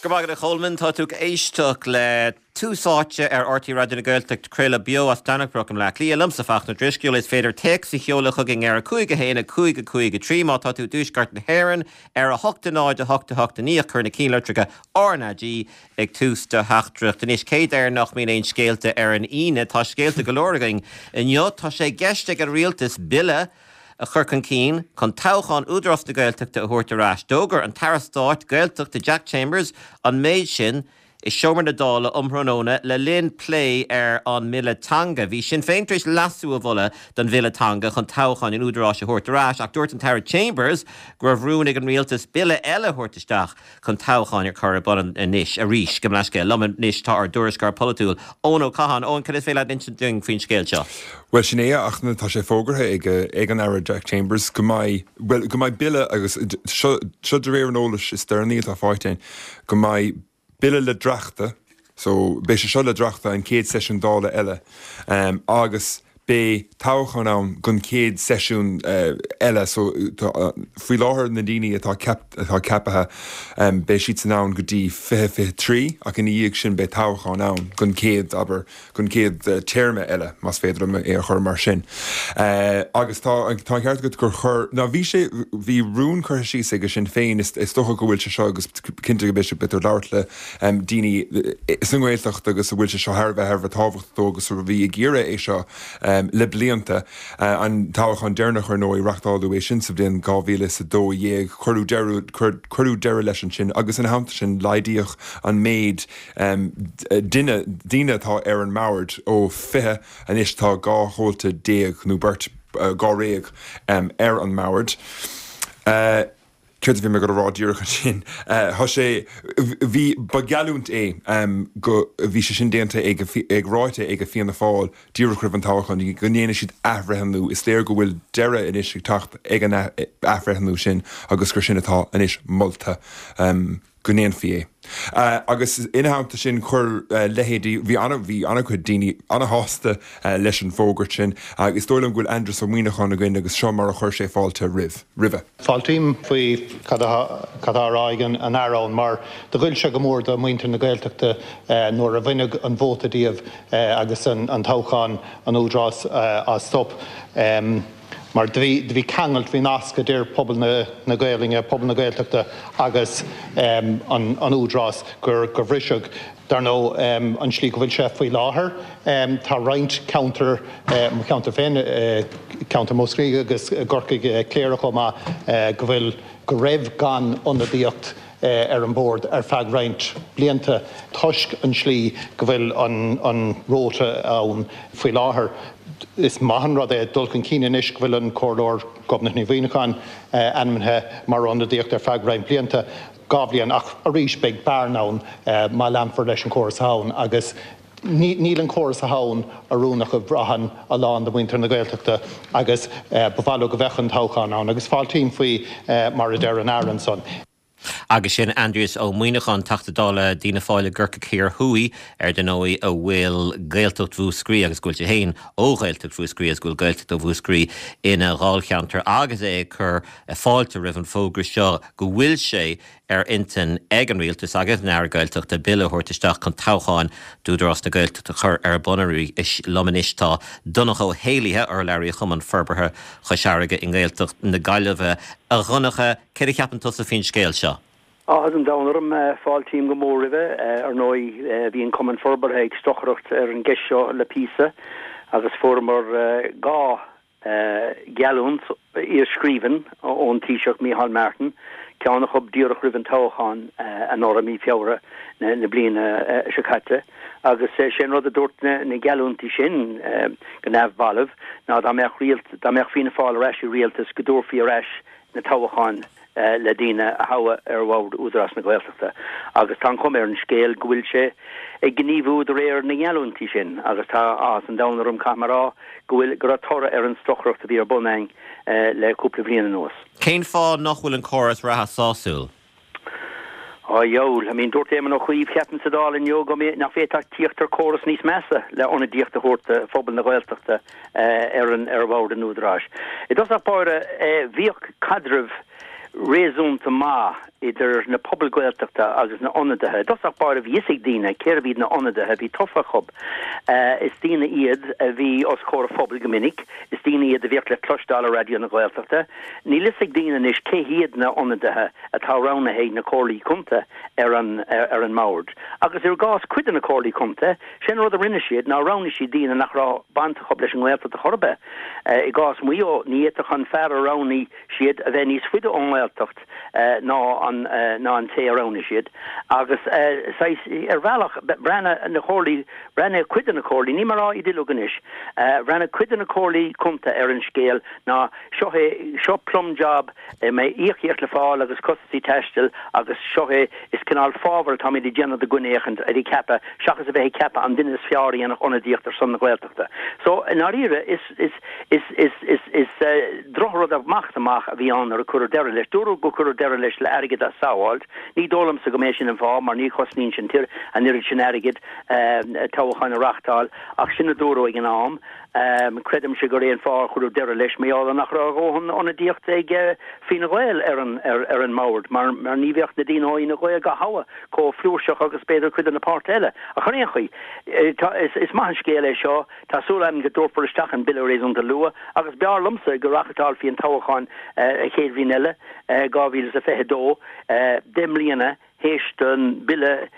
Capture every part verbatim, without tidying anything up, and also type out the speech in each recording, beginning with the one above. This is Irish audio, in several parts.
Go raibh maith agat a Cholmáin tá tú ag éisteacht le Tús Áite ar RTÉ Raidió na Gaeltachta craoladh beo as Domhnach Broc i mBleá Cliath liomsa Fachtna Drisceoil is féidir téacs a sheoladh chugainn ar a cúig a haon a cúig a cúig a trí má tá tú i dtuaisceart na hÉireann ar a hocht a náid a hocht a hocht a naoi cuir na cinnlitreacha RnaG ag tús do theachtaireacht. Anois cé air nach mbíonn aon scéalta ar an Aoine tá scéalta go leor againn inniu tá sé i gceist ag an rialtas bille a chur chun cinn chun toghchán Údarás na Gaeltachta a thabhairt ar ais. D'fhógair an tAire Stáit Gaeltachta Jack Chambers an méid sin i seomra na Dála um thráthnóna le linn plé ar an mbille teanga. Bhí Sinn Féin tar éis leasú a mholadh don bhille teanga chun toghchán an Údaráis a thabhairt ar ais ach dúirt an tAire Chambers go raibh rún ag an rialtas bille eile a thabhairt isteach chun toghchán a chur ar bun anois arís go mleisce lom anois tá ár dtuairisceoir polaitiúil Eoin Ó Catháin Eoin cad is féidir leat insint dúinn faoin scéal seo. Well sin é ach tá sé fógartha ag ag an Aire Jack Chambers go mbeidh well go mbeidh bille agus seo seo de réir an eolais is deireanaí atá faighte go mbeidh bille le dréachtadh so beidh sé seo le dréachtadh an chéad seisiún Dála eile um, agus beidh toghchán ann don chéad seisiún uh, eile so uh, faoi láthair na daoine atá ceap, atá ceaptha um, beidh siad san ann go dtí fiche fiche trí ach ina dhiaidh sin beidh toghchán ann don chéad aber don chéad uh, téarma eile más féidir é a chur mar sin. Uh, agus tá tá ceart agat gur chur ná bhí sé bhí rún curtha síos ag Sinn Féin is, is dócha go bhfuil sé seo agus cinnte go b'fhéidir b'fhéidir labhairt le um, daoine sa nGaeltacht agus a bhfuil sé seo thar bheith thar bheith tábhachtach agus a bhí ag iarraidh é seo um, le blianta uh, an toghchán deireanach ar ndóigh reáchtáladh é sin sa bhliain dhá mhíle is a dó dhéag cuireadh deireadh leis an sin agus ina theannta sin laghdaíodh an méid um, duine daoine atá ar an mbord ó fiche anois tá dhá chomhalta déag nó beirt uh, dháréag um, ar an mbord. Uh, Céard bhí mé go rá díreach sin Tá sé bhí ba gheallúint é um, go bhí sé sin déanta ag ag ráite ag a Fianna Fáil díreach roimh an toghchán go ndéanfaidh siad athbhreithniú is léir go bhfuil deireadh anois ag teacht ag an athbhreithniú sin agus gur sin atá anois molta um, go ndéanfaí é. Uh, agus ina theannta sin chuir uh, leithéidí bhí an bhí an-chuid daoine an-shásta uh, leis an bhfógairt sin agus dóigh liom go bhfuil Aindrias Ó Muimhneacháin againn agus seo mar a chuir sé fáilte roimh roimhe. Fáiltím faoi cad atá á rá ag an Aire mar do ghoill sé go mór do mhuintir na Gaeltachta nuair a baineadh an vóta díobh agus an, an toghchán an Údarás á stop. Um, mar do bhí ceangal bhí nasc idir pobal na, na Gaeilge, pobal na Gaeltachta agus um, an, an Údarás gur gur bhriseadh dar ndóigh um, an slí go bhfuil sé faoi láthair. Um, tá roinnt ceantar um, ceantar féin uh, ceantar Mhúscraí agus Corcaigh uh, Cléire chomh maith uh, go bhfuil go raibh gan ionadaíocht uh, ar an bord ar feadh roinnt blianta toisc an slí go bhfuil an, an rota ann faoi láthair. Is maith an rud é dul chun cinn anois go bhfuil an Comhairleoir Gobnait Ní Mhuimhneacháin ainmnithe mar ionadaíocht ar feadh roinnt blianta dhá bhliain ach arís beidh bearna ann má leanfar leis an córas ann agus níl an córas ann oiriúnach a bhraitheann a lán de mhuintir na Gaeltachta agus ba mhaith leo go mbeadh an toghchán ann agus fáiltím faoi mar a deir an Aire ansan. Agus sin Aindrias Ó Muimhneacháin Teachta Dála d'Fhianna Fáil i gCorcaigh Thiar Thuaidh ar ndóigh a bhfuil Gaeltacht Mhúscraí agus go bhfuil sé féin ó Ghaeltacht Mhúscraí agus go bhfuil Gaeltacht ó Mhúscraí ina dháilcheantar agus é ag cur fáilte roimh an fógra seo go bhfuil sé ar intinn ag an rialtas agus an Aire Gaeltachta bille a thabhairt isteach chun toghcháin d'Údarás na Gaeltachta a chur ar bun arís liom anois tá Donncha Ó hÉallaithe urlabhraí Chumann Forbartha Chois Fharraige i nGaeltacht na Gaillimhe a Dhonncha céard a cheapann tusa faoin scéal seo. Áthas an domhain orm fáiltím go mór roimhe ar ndóigh bhí an Cumann Forbartha ag stocaireacht ar an gceist seo le píosa agus fuaireamar dhá geallúint i scríbhinn ón Taoiseach Micheál Martin, ceann acu díreach roimh an toghchán anuraidh mí Feabhra na, na bliana seo caite agus sé an rud a dúirt na, na geallúintí sin go neamhbalbh ná dá mbeadh rialt dá mbeadh Fianna Fáil ar ais i rialtas go dtabharfaí ar ais na toghcháin le daoine a thoghadh ar bhord Údarás na Gaeltachta agus tá an chuma ar an scéal go bhfuil sé ag gníomhú de réir na ngeallúintí sin agus tá áthas an domhain orm caithfidh mé a rá go bhfuil go raibh toradh ar an stocaireacht a bhí ar bun againn le cúpla bliain anuas. Cén fáth nach bhfuil an córas reatha sásúil? Á dheabhail, I mean dúirt Éamon Ó Cuív ceapaim sa Dáil inniu go nach bhféadfadh tíocht ar córas níos measa le ionadaíocht a thabhairt do phobal na Gaeltachta ar an ar bhord an Údaráis. I dtosach báire bhíodh caidreamh réasúnta maith idir na pobail Gaeltachta agus na ionadaithe. I dtosach báire bhí fhios ag daoine cérbh iad na ionadaithe a bhí tofa acu. Is daoine iad a bhí os comhair an phobail go minic, is daoine iad a bhíodh le cloisteáil ar Raidió na Gaeltachta. Níl fhios ag daoine anois cé hiad na ionadaithe atá roghnaithe ag na comhairlí contae ar an ar an mbord. Agus i gcás cuid de na comhairlí contae, sin rud a rinne siad ná roghnaigh siad daoine nach raibh baint acu leis an nGaeltacht ar chor ar bith. I gcás Mhaigh Eo, ní fhéadfadh an fear a roghnaigh siad a bheith níos faide ón nGaeltacht ná an ná an té a roghnaigh siad. Agus saghas ar bhealach bhreathnaigh na comhairlí, bhreathnaigh cuid de na comhairlí, níl mé ag rá iad uilig anois, bhreathnaigh cuid de na comhairlí contae ar an scéal ná seo é, seo plum job, mbeidh íocaíocht le fáil agus costaisí taistil agus seo é, is cineál fábhar atáimid ag déanamh do dhuine éicint a bhí ceaptha seachas a bheith ag ceapadh an duine is fearr a dhéanfadh ionadaíocht ar son na Gaeltachta. So, i ndáiríre, is, is, is, is, is, is drochrud amach is amach a bhí ann nuair a cuireadh deireadh leis. Dúradh gur cuireadh deireadh leis le airgead a shábháilt. Ní dóigh liomsa go mb'é sin an fáth mar ní chosnaíonn sin an oiread sin airgid toghcháin a reáchtáil ach sin a dúradh ag an am. Creidimse gur é an fáth ar cuireadh deireadh leis mar gheall nach raibh a dhóthain ionadaíocht ag Fianna Gael ar an ar an mbord mar mar ní bheadh na daoine ó Fhine Gael dhá thoghadh chomh flúirseach agus b'fhéidir cuid de na páirtithe eile. Ach ar aon chaoi, is is maith an scéal é seo, tá súil agam go dtabharfar isteach an bille réasúnta luath agus b'fhearr liomsa go reáchtálfaí an toghchán an chéad bhliain eile, dhá mhíle is a fiche dó, deich mbliana théis don bille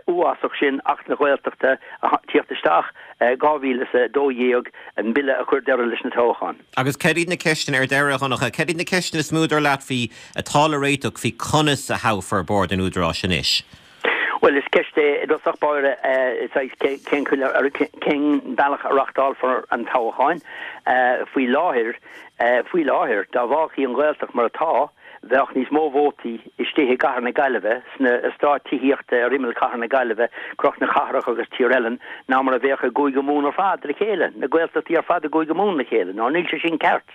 uafásach sin, Acht na Gaeltachta, a tíocht isteach, dhá mhíle is a dó dhéag, an bille a chuir deireadh leis na toghcháin. Agus céard iad na ceisteanna ar deireadh, a Dhonncha, céard iad na ceisteanna is mó dar leat faoi atá le réiteach faoi conas a thoghfar Bord an Údaráis anois? Bhuel, is ceist é i dtosach báire cén cén bealach a reáchtálfar an toghchán. Faoi láthair, faoi láthair, dá bhfágfaí an Ghaeltacht mar atá, bheadh níos mó vótaí istigh i gcathair na Gaillimhe, sna eastáit tithíochta ar imeall chathair na Gaillimhe, Cnoc na Cathrach agus Tír Eilean, ná mar a bheadh i gCúige Mumhan ar fad le chéile, na Gaeltachtaí ar fad i gCúige Mumhan le chéile. Ná níl sé sin ceart.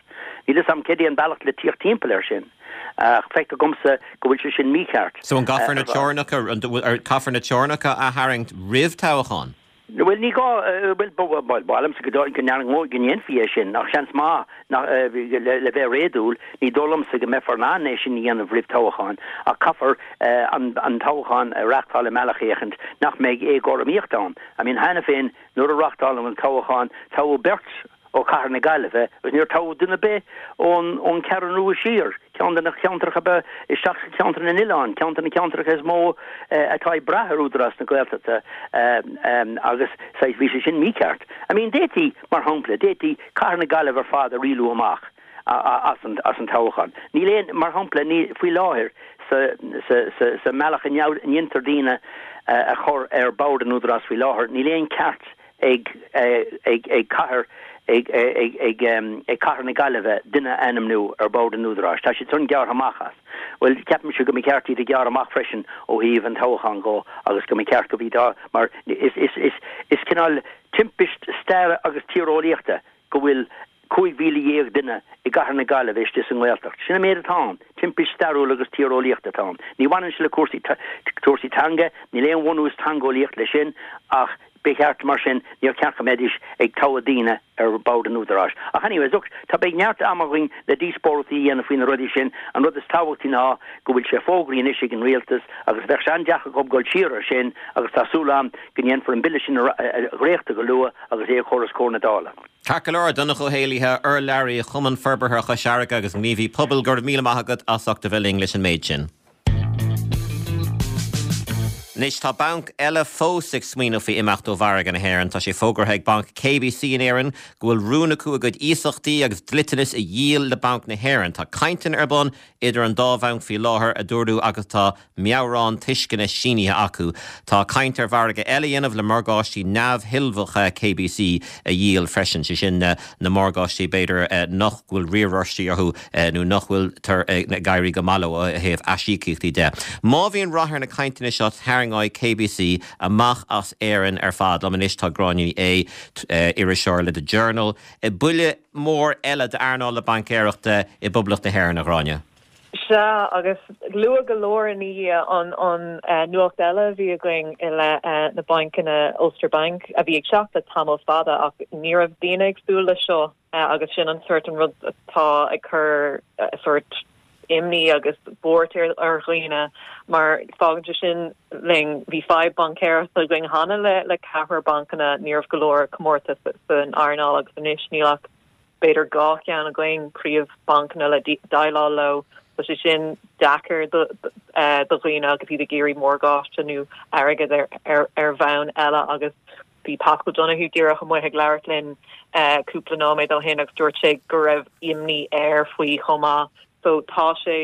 Níl fhios a'm céard é an bealach le tíocht timpeall air sin. Ach feictear dhomsa go bhfuil sé sin mícheart. So an gcaithfear na teorainneacha, an caithfear na teorainneacha a tharraingt roimh toghchán? Bhuel, ní gá, bhuel, ba mhaith liomsa go go ndéanfaí é sin, ach seans maith nach, le bheith réadúil, ní dóigh liomsa go mbeifear in ann é sin a dhéanamh roimh toghchán, ach caithfear an toghchán a reáchtáil i mbealach éicint nach mbeidh éagothromaíocht ann. I mean, cheana féin, nuair a reáchtáladh an toghchán, toghadh beirt ó chathair na Gaillimhe agus níor toghadh duine ar bith ón ón Cheathrú Rua siar, ceann de na ceantracha ba isteach sa cheantar na n-oileán, ceann de na ceantracha is mó atá ag brath ar Údarás na Gaeltachta agus saghas bhí sé sin mícheart. I mean d'fhéadfaí, mar shampla, d'fhéadfaí cathair na Gaillimhe ar fad a rialú amach as an as an toghchán. Níl aon, mar shampla, ní faoi láthair sa sa sa sa mbealach a ndéantar daoine a chur ar bord an Údarás faoi láthair, níl aon ceart ag ag cathair ag ag ag cathair na Gaillimhe duine a ainmniú ar bord an Údaráis. Tá siad san gearrtha amach as. Bhuel, ceapaimse go mba cheart iad a ghearradh amach freisin ó thaobh an toghcháin dhó agus go mba cheart go bhí dá mar is is is is cineál timpist staire agus tíreolaíochta go bhfuil cúig mhíle dhéag duine i gcathair na Gaillimhe istigh sa nGaeltacht. Sin an méid atá ann. Timpist stairiúil agus tíreolaíochta atá ann. Ní bhaineann sé le cúrsaí cúrsaí teanga, níl aon bhunús teangeolaíoch leis sin ach ba cheart mar sin, níor cheart go mbeidís ag toghadh daoine ar bord an Údaráis. Ach anyways, look, tá beidh neart ama againn le díospóireachtaí a dhéanamh faoi na rudaí sin. An rud is tábhachtaí ná go bhfuil sé fógraithe anois ag an Rialtas agus bheadh sé an-deacair acu dul siar ar sin agus tá súil agam go ndéanfar an bille sin a dhréachtú go luath agus é a chur os comhair na Dála. Ceart go leor, Donncha Ó hÉallaithe, urlabhraí Chumann Forbartha Chois Fharraige agus gníomhaí pobail, go raibh míle maith agat as ucht a bheith linn leis an méid sin. Anois tá banc eile fós ag smaoineamh faoi imeacht ó mhargadh na hÉireann. Tá sé fógartha ag Banc KBC in Éirinn go bhfuil rún acu a gcuid iasachtaí agus dliteanas a dhíol le Banc na hÉireann. Tá cainteanna ar bun idir an dá bhanc faoi láthair, a dúradh, agus tá meabhrán tuisceana sínithe acu. Tá caint ar mhargadh eile a dhéanamh le morgáistí neamhthuillmheacha KBC a dhíol freisin, sé sin na morgáistí b'fhéidir nach bhfuil riaráistí orthu nó nach bhfuiltear ag éirí go maith leo ó thaobh aisíocaíochtaí de. Má bhíonn rath ar na cainteanna seo tarraingeoidh KBC amach as Éirinn ar fad. Liom anois tá Gráinne Ní Aodha, iriseoir le The Journal. Buille mór eile d'earnáil na baincéireachta i bPoblacht na hÉireann, a Ghráinne. Sea, agus luath go leor i ndiaidh an an nuacht eile a bhí againn i leith na bainceanna Ulster Bank a bhí ag teacht le tamall fada ach ní raibh daoine ag súil leis seo agus sin an sort an rud atá ag cur sort imní agus buairt ar ar dhaoine mar fágann sé sin linn bhí fadhb baincéireachta againn cheana le le ceathrar bancanna ní raibh go leor comórtas san earnáil agus anois níl ach b'fhéidir dhá cheann againn príomhbhancanna le déileáil leo Tá sé sin deacair do eh, do dhaoine agus iad ag iarraidh morgáiste nó airgead ar ar ar bhonn eile agus bhí Paschal Donohoe díreach amuigh ag labhairt linn eh, cúpla nóiméad ó shin agus dúirt sé go raibh imní air faoi chomh maith. So tá sé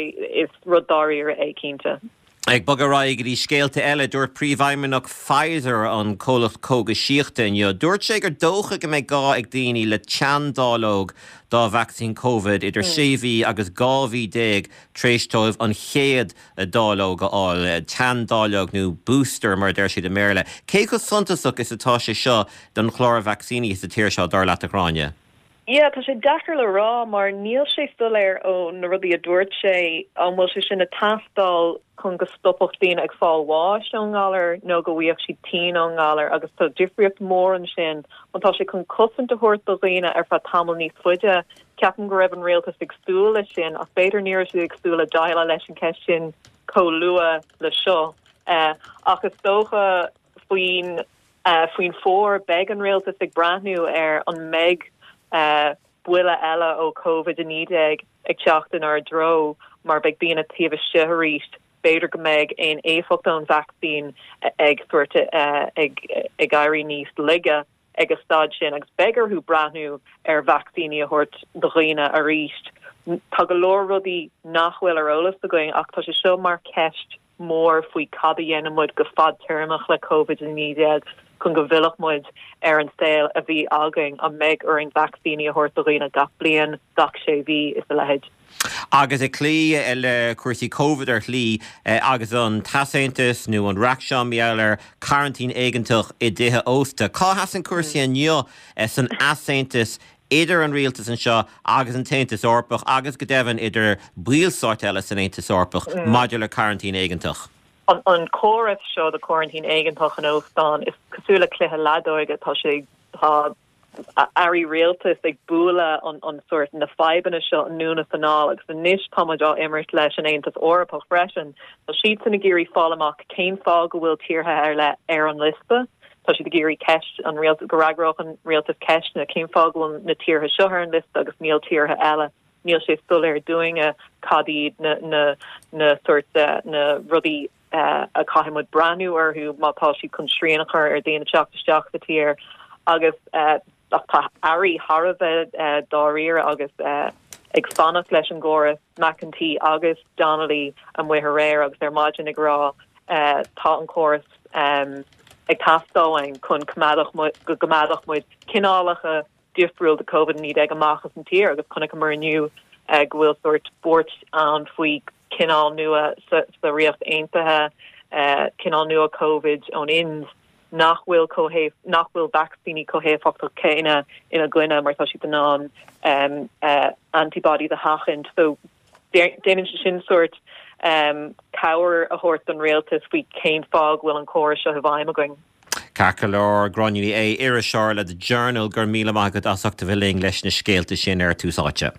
is rud dáiríre é cinnte. Ag bogadh ar aghaidh go dtí scéalta eile dúirt príomhfheidhmeannach Pfizer an comhlacht cógaisíochta inniu. Dúirt sé gur dócha go mbeidh gá ag daoine le teanndáileog dá vacsaín COVID idir sé mhí agus dhá mhí déag tar éis dóibh an chéad dáileog a fháil, teanndáileog nó booster mar deir siad i mBéarla. Cé chomh suntasach is atá sé seo don chlár vacsaíní sa tír seo dar leat a Ghráinne. Yeah, tá sé deacair le rá mar níl sé soiléir ó na rudaí a dúirt sé an bhfuil sé sin ag teastáil chun go stopfadh daoine ag fáil bháis ón ngalar nó go bhfaigheadh siad tinn ón ngalar agus tá difríocht mór ansin an tá sé chun cosaint a thabhairt do dhaoine ar feadh tamall níos faide ceapaim go raibh an rialtas ag súil leis sin ach b'fhéidir ní raibh siad ag súil le déileáil leis an cheist sin chomh luath le seo uh, ach is dócha faoin uh, faoin bhfómhar beidh an rialtas ag breathnú ar an mbeidh uh, buille eile ó COVID a naoi déag ag teacht inár dtreo mar beidh daoine taobh istigh arís b'fhéidir go mbeidh aon éifeacht ón vacsaín ag sort uh, ag ag éirí níos laige ag an staid sin agus beidh orthu breathnú ar vacsaíní a thabhairt do dhaoine arís. Tá go leor rudaí nach bhfuil ar eolas againn ach tá sé seo mar ceist mór faoi cad a dhéanann muid go fadtéarmach le COVID a naoi déag chun go bhfillfidh muid ar an saol a bhí againn an mbeidh orainn vacsaíní a thabhairt do dhaoine gach bliain gach sé mhí is a leithéid. Agus ag cloí le cúrsaí COVID ar shlí agus an t-easaontas nó an reacht seo maidir le cearantín éigeantach i dtithe ósta. Cá sheasann cúrsaí inniu san easaontas idir an rialtas anseo agus an tAontas Eorpach agus go deimhin idir ballstáit eile san Aontas Eorpach mm. maidir le cearantín éigeantach. An, an córas seo de quarantine éigeantach in óstán is cosúil le cluiche leadóige tá sé tá airí rialtais ag bualadh an, an sort na fadhbanna seo anonn is anall agus anois táimid á imirt leis an Aontas Eorpach freisin. Tá siad san ag iarraidh fáil amach cén fáth go bhfuil tíortha ar leith ar an liosta. Tá siad ag iarraidh ceist an rialtas go bhfreagródh an rialtas ceisteanna cén fáth go bhfuil na tíortha seo ar an liosta agus níl tíortha eile. Níl sé soiléir dúinne cad iad na na na sort uh, na rudaí uh, a caithfidh muid breathnú orthu má tá siad chun srian a chur ar daoine teacht isteach sa tír agus uh, ach tá airí thar a bheith uh, dáiríre agus uh, ag fanacht leis an gcóras McEntee agus Donnelly amuigh aréir agus ar maidin ag rá uh, tá an córas um, ag teastáil chun coimeádfadh go gcoimeádfadh muid cineálacha difriúil de COVID naoi déag amach as an tír agus chonaiceamar inniu uh, go bhfuil sort buairt ann faoi cineál nua sa, sa Ríocht Aontaithe uh, cineál nua COVID ón Ind nach bhfuil chomh nach bhfuil vacsaíní chomh héifeachtach céanna ina gcoinne mar tá siad in ann um, uh, antibody a sheachaint so déanann sé sin sort um, cabhair a thabhairt don rialtas faoi cén fáth go bhfuil an córas seo i bhfeidhm againn. Ceart go leor Gráinne Ní Aodha iriseoir le The Journal gur míle maith agat as ucht a bheith linn leis na scéalta sin ar Tús Áite.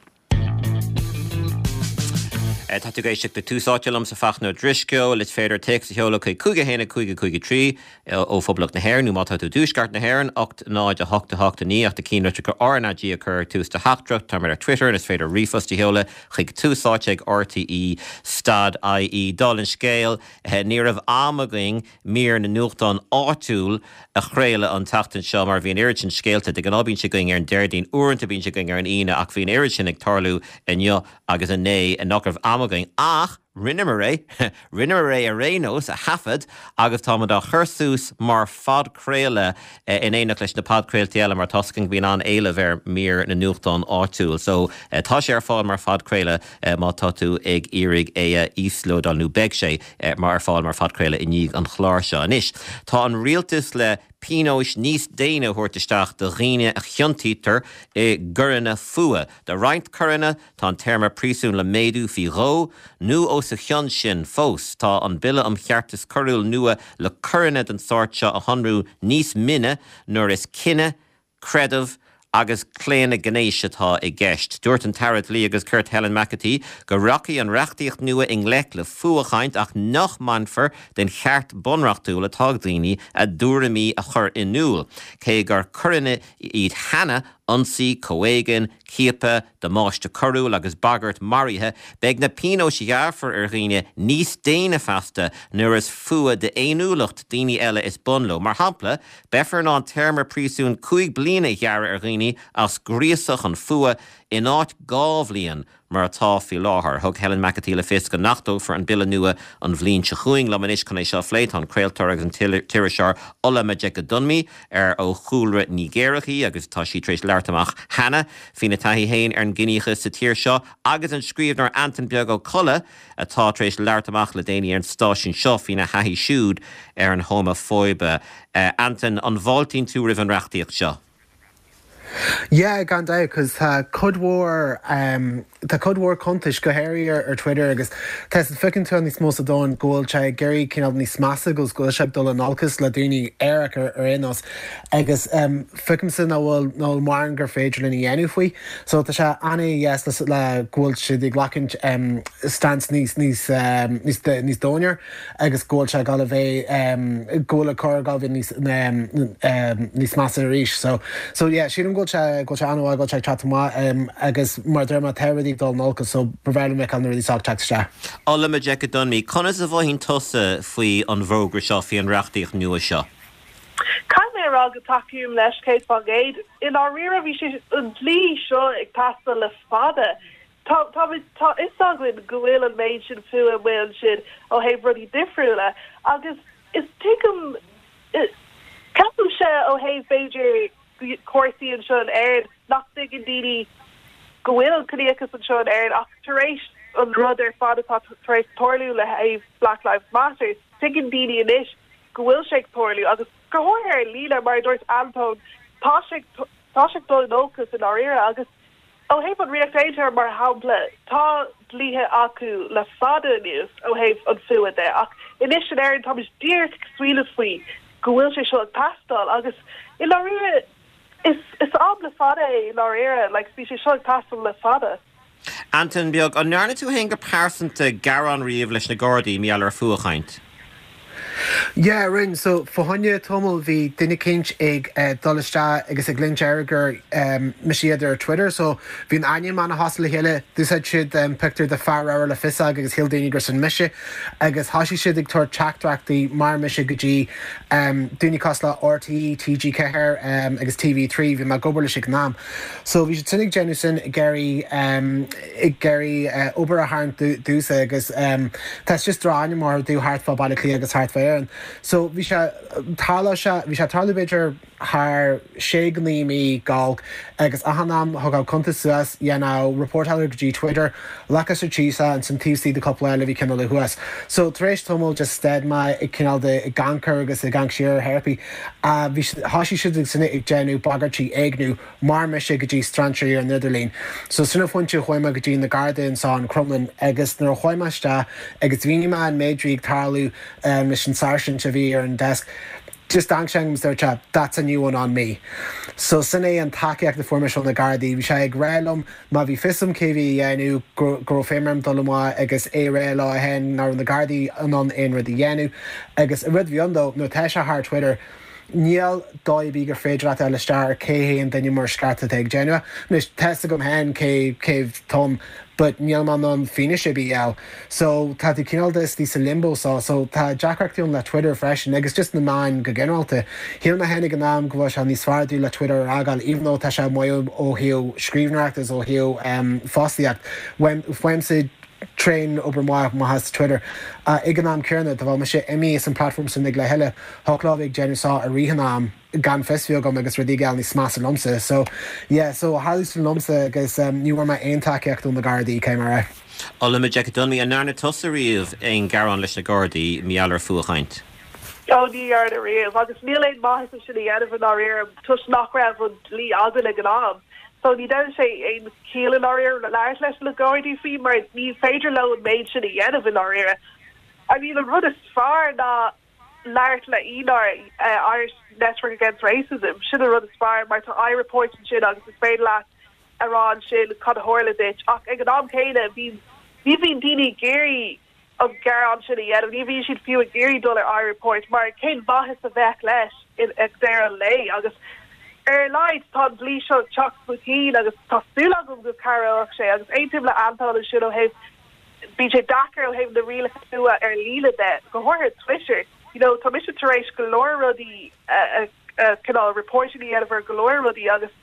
Tá tú ag éisteacht le Tús Áite liomsa Fachtna Ó Drisceoil is féidir téacs a sheoladh chuig cúig a haon cúig cúig trí ó Phoblacht na hÉireann nó má tá tú i dtuaisceart na hÉireann ocht náid a hocht a hocht a naoi ach do cheannlitreacha RnaG a chur tús do theachtaireacht tá ar Twitter is féidir ríomhphost a sheoladh chuig tús áite ag RTE stad IE dála an scéil ní raibh am againn mír na nuachtán áitiúil a chraoladh an tseachtain seo mar bhí an oiread sin scéalta de ghnáth bíonn sé againn ar an Déardaoin uaireanta bíonn sé againn ar an Aoine ach bhí an oiread sin ag tarlú inniu agus inné nach raibh am againn ach rinneamar é rinneamar é ar aon nós a thaifead agus táimid á chur suas mar phodchraoladh in éineacht leis na podchraoltaí eile mar toisc go mbíonn an-éileamh ar mír na nuachtán áitiúil. So tá sé ar fáil mar phodchraoladh má tá tú ag iarraidh é a íoslódáil nó beidh sé mar ar fáil mar phodchraoladh i ndiaidh an chláir seo. Anois tá an rialtas le pionóis níos déine a thabhairt isteach do dhaoine a chiontaítear i gcoireanna fuatha. Do roinnt coireanna tá an téarma príosúin le méadú faoi dhó nó os a chionn sin fós. Tá an bille um cheartas coiriúil nua le coireanna den sórt seo a shonrú níos mine nuair is cine, creideamh agus claonadh gnéis atá i gceist. Dúirt an tAire Dlí agus Cirt Helen McEntee go rachaidh an reachtaíocht nua i ngleic le fuathchaint ach nach mbainfear den cheart bunreachtúil atá ag daoine a dtuairimí a chur in iúl. Cé gur coireanna iad cheana ionsaí, comhéigean, ciapadh, damáiste coiriúil agus bagairt maraithe, beidh na pionóis a ghearrfar ar dhaoine níos déine feasta nuair is fuath d'fhéiniúlacht daoine eile is bun leo. Mar shampla, beifear in ann téarma príosúin cúig bliana a ghearradh ar dhaoine as gríosadh chun fuatha in áit dhá bhliain mar atá faoi láthair. Thug Helen McEntee le fios go n-achtófar an bille nua an bhliain seo chugainn liom anois chun é seo a phlé tá an craoltóir agus an t-iriseoir Ola Majekodunmi ar ó chúlra Nigéarach í agus tá sí tar éis labhairt amach cheana faoina taithí féin ar an gciníochas sa tír seo agus an scríbhneoir Antain Beag Ó Colla atá tar éis labhairt amach le déanaí ar an stáisiún seo faoina thaithí siúd ar an homafóibe. Uh, Antain an bhfáiltíonn tú roimh an reachtaíocht seo. Yeah, gan dabht, cos tá cuid mhór um, tá cuid mhór cuntais go háirithe ar, ar Twitter agus tá feiceann tú níos mó sa domhan go bhfuil sé ag éirí cineál níos measa agus go bhfuil sé ag dul in olcas le daoine aerach ar ar aon nós agus um, feicimse nach bhfuil ná mar gur féidir linn a dhéanamh faoi. So tá sé an-dheas le, le go bhfuil siad ag glacadh um, stance níos níos um, níos níos dóine agus go bhfuil sé ag bheith um, go bhfuil a chor ag bheith níos um, um, níos measa arís. So so yeah, sílim go bhfuil sé go bhfuil sé an-mhaith go bhfuil sé teacht amach um, agus mar deir má tá rudaí ag dul in olcas so b'fhearr liom an rudaí seo teacht isteach. Ola Majekodunmi, conas a mhothaíonn tusa faoi an bhfógra seo faoi an reachtaíocht nua seo. Caithfidh mé a rá go dtacaím leis céad faoin gcéad i ndáiríre bhí sé an dlí seo ag teastáil le fada. Tá tá tá is againn go bhfuil an méid sin fuath bhfuil sin ó thaobh rudaí difriúla agus is tuigim ceapaim sé ó thaobh b'fhéidir cúrsaí anseo in Éirinn nach dtuigeann daoine go bhfuil an ciníochas anseo in Éirinn ach tar éis an rud ar fad atá tar éis tarlú le thaobh Black Lives Matter tuigeann daoine anois go bhfuil sé ag tarlú agus go háirithe ar líne mar dúirt Anton tá sé tá sé dul in olcas i ndáiríre agus ó thaobh an Ríocht Aontaithe mar shampla tá dlíthe acu le fada anuas ó thaobh an fuath de ach anois in Éirinn tá díreach smaoineamh faoi go bhfuil sé seo ag teastáil agus i ndáiríre is is am le fada é i ndáiríre like bhí sé seo ag teastáil le fada. Antain Beag an ndearna tú féin go pearsanta gearán riamh leis na Gardaí mar gheall ar fuathchaint. Yeah, rinne so fá choinne tamall bhí duine éicint ag uh, dul isteach agus ag linseáil gur um, mise iad ar Twitter, so bhí an ainm an-chosúil le chéile d'úsáid siad um, pictiúr de fear le fiosóg agus shíl daoine gur sin mise agus thosaigh siad ag tabhairt teachtaireachtaí mar mise go dtí um, daoine cosúil le RTÉ, TG Ceathair um, agus TV trí bhí mé ag obair leis ag an am. So bhí siad sin ag déanamh sin ag iarraidh um, ag iarraidh uh, obair a tharraingt domhsa agus um, tá just drochainm orthu thart fá Baile Átha Cliath agus thart fá Éirinn. So bhí sé tarla sé bhí sé tarlú b'fhéidir thar sé go naoi mí gal agus achan am thug cuntas suas dhéanadh reportáil go dtí Twitter leca sa tísa an san TC de cúpla eile bhí cineál le thuas. So tar éis tamall just stad mé ag cineál de ag amharc agus ag amharc siar therapy. Uh, bhí thosaigh siad ag sinna ag déanamh bagairtí éigniú mar mise go dtí strainséirí ar an idirlíon. So sin an pointe chuaigh mé go dtí na Gardaí ansan Crumlin agus nuair a chuaigh mé isteach agus bhí mé an méid ag tarlú um, leis an sáirsint a bhí ar an desk. Just dang sé dúirt that's a new one on me. So sin é an tacaíocht a fuair mé ó na Gardaí, bhí sé ag rá liom má bhí fios agam cé bhí dhéanamh go raibh féim dul amach agus é rá lá hen ná na Gardaí an an aon rud a dhéanamh agus a rud bhí andó nó tá sé thar Twitter. Níl dóigh gur féidir leat isteach ar cé hé an duine mar scarta ag déanamh. Anois tá a fhios agam féin cé cé tom, but níl man an fianaise BL. So tá tú cineál de sa limbo so so tá deacrachtaí le Twitter freisin agus just na meáin go ginearálta. Shíl mé féin ag an am go bhfuil sé níos fearr le Twitter a fhágáil even though tá sé maith ó thaobh scríbhneoireacht is ó thaobh um, fostaíocht. Fuaimse tréan obair maith maith Twitter. Uh, ag an am céanna tá bhí sé imithe as an platform sin ag le heile thochlá ag déanamh sá a rihan am gan fios agam agus rudaí ag éirí níos measa liomsa. So yeah, so tharla sin liomsa agus um, ní bhfuair mé aon tacaíocht ó na Gardaí cé mar é. Ola Majekodunmi an ndearna tusa riamh aon ghearán leis na Gardaí mar gheall ar fuathchaint. Ó ní dhearna riamh agus níl aon maitheas sin a dhéanamh i ndáiríre toisc nach raibh an dlí againn ag an am. So ní dein sé aon chiall i ndáiríre labhairt leis na Gardaí faoi mar ní féidir leo an méid sin a dhéanamh i ndáiríre. I mean an rud is fearr ná labhairt le INAR uh, Irish Network Against Racism, sin an rud is fearr mar tá iReport ansin agus is féidir leat a rá ansin cad a tharla duit ach ag an am céanna bhí ní bhíonn daoine ag iarraidh an gearán sin a dhéanamh, ní bhíonn siad fiú ag iarraidh dul ar iReport mar cén mhaitheas a bheadh leis in ag deireadh an lae agus ar a laghad tá an dlí seo ag teacht chun cinn agus tá súil agam go cabhróidh sé agus aontaím le Antóin ansin ó thaobh bíonn sé deacair ó thaobh na rialacha nua ar líne de, go háirithe Twitter. You know, tá mise tar éis go leor rudaí cineál reporting a dhéanamh ar go leor rudaí agus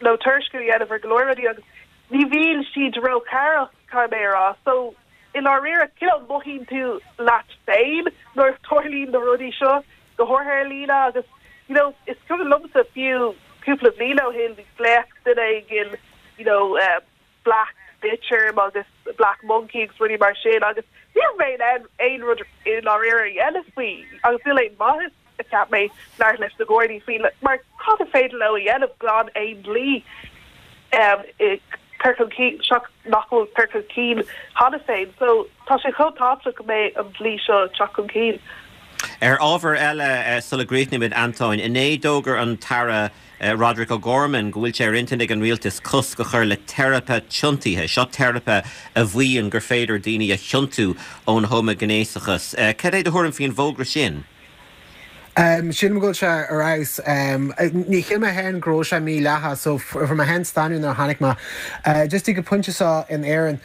nó tuairisciú a dhéanamh ar go leor rudaí agus ní bhíonn siad róchabhrach caithfidh mé a rá. So i ndáiríre cineál mothaíonn tú leat féin nuair a tarlaíonn na rudaí seo go háirithe ar líne agus you know, is cuma liomsa fiú cúpla bliain ó shin glaoch duine éigin you know, uh, black bitch orm agus black monkey agus rudaí mar sin agus ní raibh mé in ann aon rud i ndáiríre a dhéanamh faoi agus níl aon mhaitheas a cheap mé labhairt leis na Gardaí faoi mar cad is féidir leo a dhéanamh gan aon dlí um, cur chun cinn nach bhfuil curtha chun cinn cheana féin so tá sé chomh tábhachtach go mbeidh an dlí seo teacht chun cinn. Ar ábhar eile sula gcríochnaímid Antóin, inné d'fhógair an tAire Roderick O'Gorman go bhfuil sé ar intinn ag an rialtas cosc a chur le teiripe tiontaithe, seo teiripe a mhaíonn gur féidir daoine a thiontú ón homaighnéasachas. Cad é do thuairim faoin bhfógra sin? Sílim go bhfuil sé ar fheabhas. Ní shíl mé féin go raibh sé mídhleathach so fuair mé féin staonadh nuair a tháinig mé. Just ag an bpointe seo in Éirinn,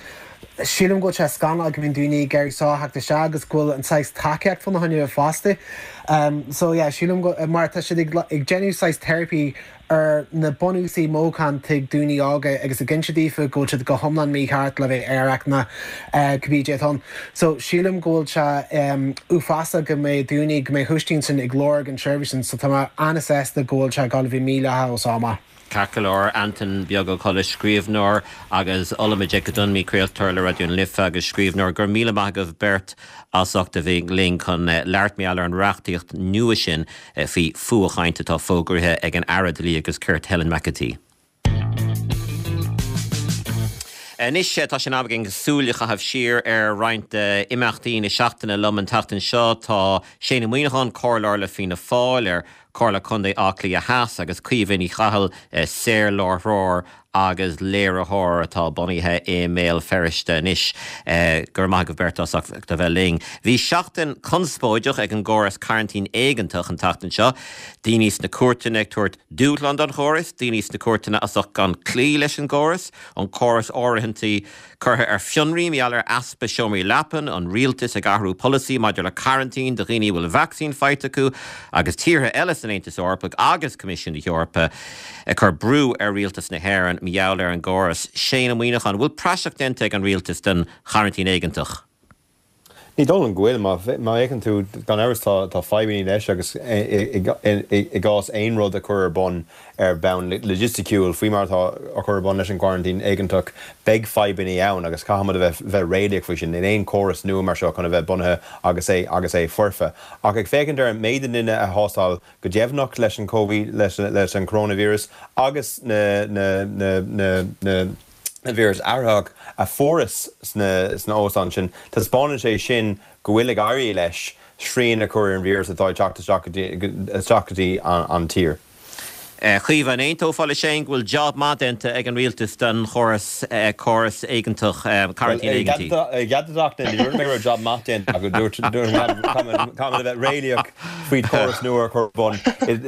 sílim go bhfuil sé scannalach go mbíonn daoine ag iarraidh seo a theacht isteach agus go bhfuil an saghas tacaíocht fána choinne fosta. So yeah, sílim go mar tá siad ag ag déanamh saghas teiripí ar na bunúsaí mothúcháin ag daoine óga agus ag inse daofa go bhfuil siad go hiomlán mícheart le bheith aerach ná cibé atá ann. So sílim go bhfuil sé uafásach go mbeidh daoine go mbeidh thuiscint sin ag lorg an tseirbhís sin, so tá mé an-sásta go bhfuil sé ag dul a bheith mídhleathach ó seo amach. Ceart go leor, Antain Beag Ó Colla, scríbhneoir agus Ollamh Ag Dunmí craoltóir le Raidió na Life agus scríbhneoir go raibh míle maith agaibh beirt as ucht a bheith linn chun labhairt mar gheall ar an reachtaíocht nua sin faoi fuathchaint atá fógraithe ag an Aire Dlí agus Cirt Helen McEntee. Anois tá sé in am againn súil a chaitheamh siar ar roinnt imeachtaí na seachtaine liom an tseachtain seo tá Shane Ó Muíneacháin, comhairleoir le Fianna Fáil ar Comhairle Contae Átha Cliath Theas agus Caoimhe Ní Chathail saorláithreoir agus léiritheoir atá bunaithe i mBéal Feirste anois. Go raibh maith agaibh beirt as ucht a bheith linn. Bhí seachtain conspóideach ag an gcóras cearantín éigeantach an tseachtain seo. Daoine sna cúirteanna ag tabhairt dúshlán don chóras, daoine sna cúirteanna as ucht gan cloí leis an gcóras, an córas áirithintí curtha ar fionraí mar gheall ar easpa seomraí leapan, an rialtas ag athrú polasaí maidir le cearantín do dhaoine a bhfuil vacsaín faighte acu agus tíortha eile san Aontas Eorpach agus Coimisiún na hEorpa ag cur brú ar rialtas na hÉireann mar gheall ar an gcóras. Shane Ó Muíneacháin, bhfuil praiseach déanta ag an rialtas den chearantín éigeantach? Ní dóigh liom go bhfuil má fhéachann tú gan amhras tá tá fadhbanna leis agus i gcás aon rud a chur ar bun ar bhonn loigisticiúil faoi mar atá á chur ar bun leis an gcearantín éigeantach beidh fadhbanna ann agus caithfimid a bheith bheith réalaíoch faoi sin in aon chóras nua mar seo chun a bheith bunaithe agus é agus é foirfe. Ach ag féachaint ar an méid daoine a thástáil go deimhneach leis an Covid leis leis an coronavirus agus na na na na na na víreas athraitheach a fuarthas sna sna hóstáin sin, taispeánann sé sin go bhfuil ag éirí leis srian a chur ar an víreas atá ag teacht isteach go dtí isteach go dtí an tír. Caoimhe, an aontófá le Shane go bhfuil job maith déanta ag an rialtas den chóras córas éigeantach cearantín éigeantaí? Gheadach ní dúirt mé go raibh job maith déanta acu dúirt caithfimid a bheith réalaíoch faoi chóras nua a chur ar bun.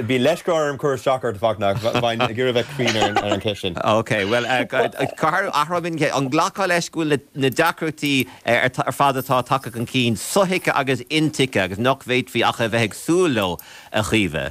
Bhí leisce orm cur isteach ort Fachtna bheinn ag iarraidh bheith cruinn ar an cheist sin. Ok, well athrú an nglacfá leis go bhfuil na deacrachtaí ar fad atá tagtha chun cinn sothuigthe agus intuigthe agus nach bhféadfaí ach a bheith ag súil leo a Chaoimhe.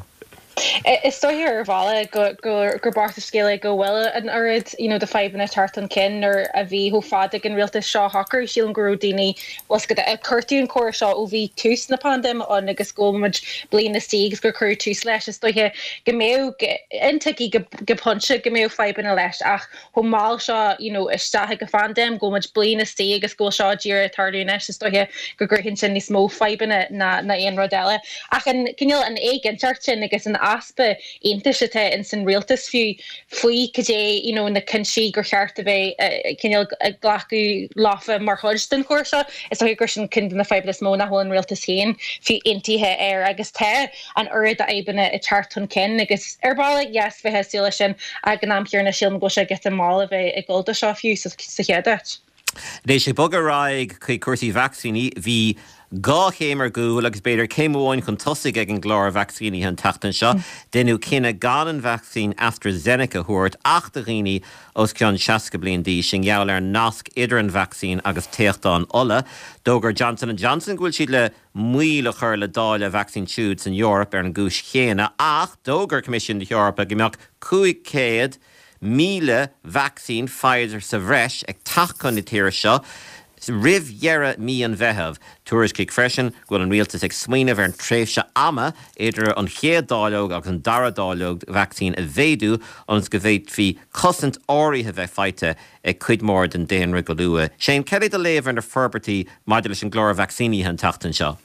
Is dóiche ar bhealach gur bocht an scéal é go bhfuil an oiread you know, de fadhbanna teacht chun cinn nuair a bhí chomh fada ag an rialtas seo shocrú sílim go raibh daoine cuartú an córas seo ó bhí tús na paindéime ann agus go bhfuil muid bliain istigh agus gur cuireadh tús leis is dóiche go mbeadh intuigthe go go pointe go mbeadh fadhbanna leis ach chomh mall seo you know, isteach ag an phaindéim go bhfuil muid bliain istigh agus go bhfuil seo díreach ag tarlú anois is dóiche go gcruthaíonn sin níos mó fadhbanna ná na aon rud eile. Ach an cineál an éiginnteacht sin agus an easpa aontais atá ins an rialtas fiú faoi cad é you know, na cinntí gur cheart a bheith eh, cineál ag glacadh leofa mar chuid den chóras seo is dóigh gur sin ceann de na fadhbanna is mó nach bhfuil an rialtas féin fiú aontaithe air agus tá an oiread fadhbanna ag teacht chun cinn agus ar ball yes bheith ag súil leis sin ag an am céanna sílim go bhfuil sé giota mall a bheith ag dul do seo fiú sa sa chéad áit. Anois ag bogadh ar aghaidh chuig cúrsaí vacsaíní bhí dhá chéim ar gcúl agus b'fhéidir céim amháin chun tosaigh ag an gclár vacsaínithe an tseachtain seo. Deineadh cinneadh gan an vacsaín AstraZeneca a thabhairt ach do dhaoine os cionn seasca bliain d'aois i ngeall ar nasc idir an vacsaín agus téachtán fola. D'fhógair Johnson and Johnson go bhfuil siad le moill a chur le dáileadh a vacsaín siúd san Eoraip ar an gcúis chéanna ach d'fhógair Coimisiún na hEorpa go mbeadh cúig chéad míle vacsaín Pfizer sa bhreis ag teacht chun na tíre seo roimh dheireadh mí an Mheithimh. Tuairiscíodh freisin go bhfuil an rialtas ag smaoineamh ar an tréimhse ama idir an chéad dáileog agus an dara dáileog vacsaín a mhéadú ionas go bhféadfaí cosaint áirithe bheith faighte ag cuid mhór den daonra go luath. Shane, cad é do léamh ar na forbairtí maidir leis an gclár vacsaínithe an tseachtain seo?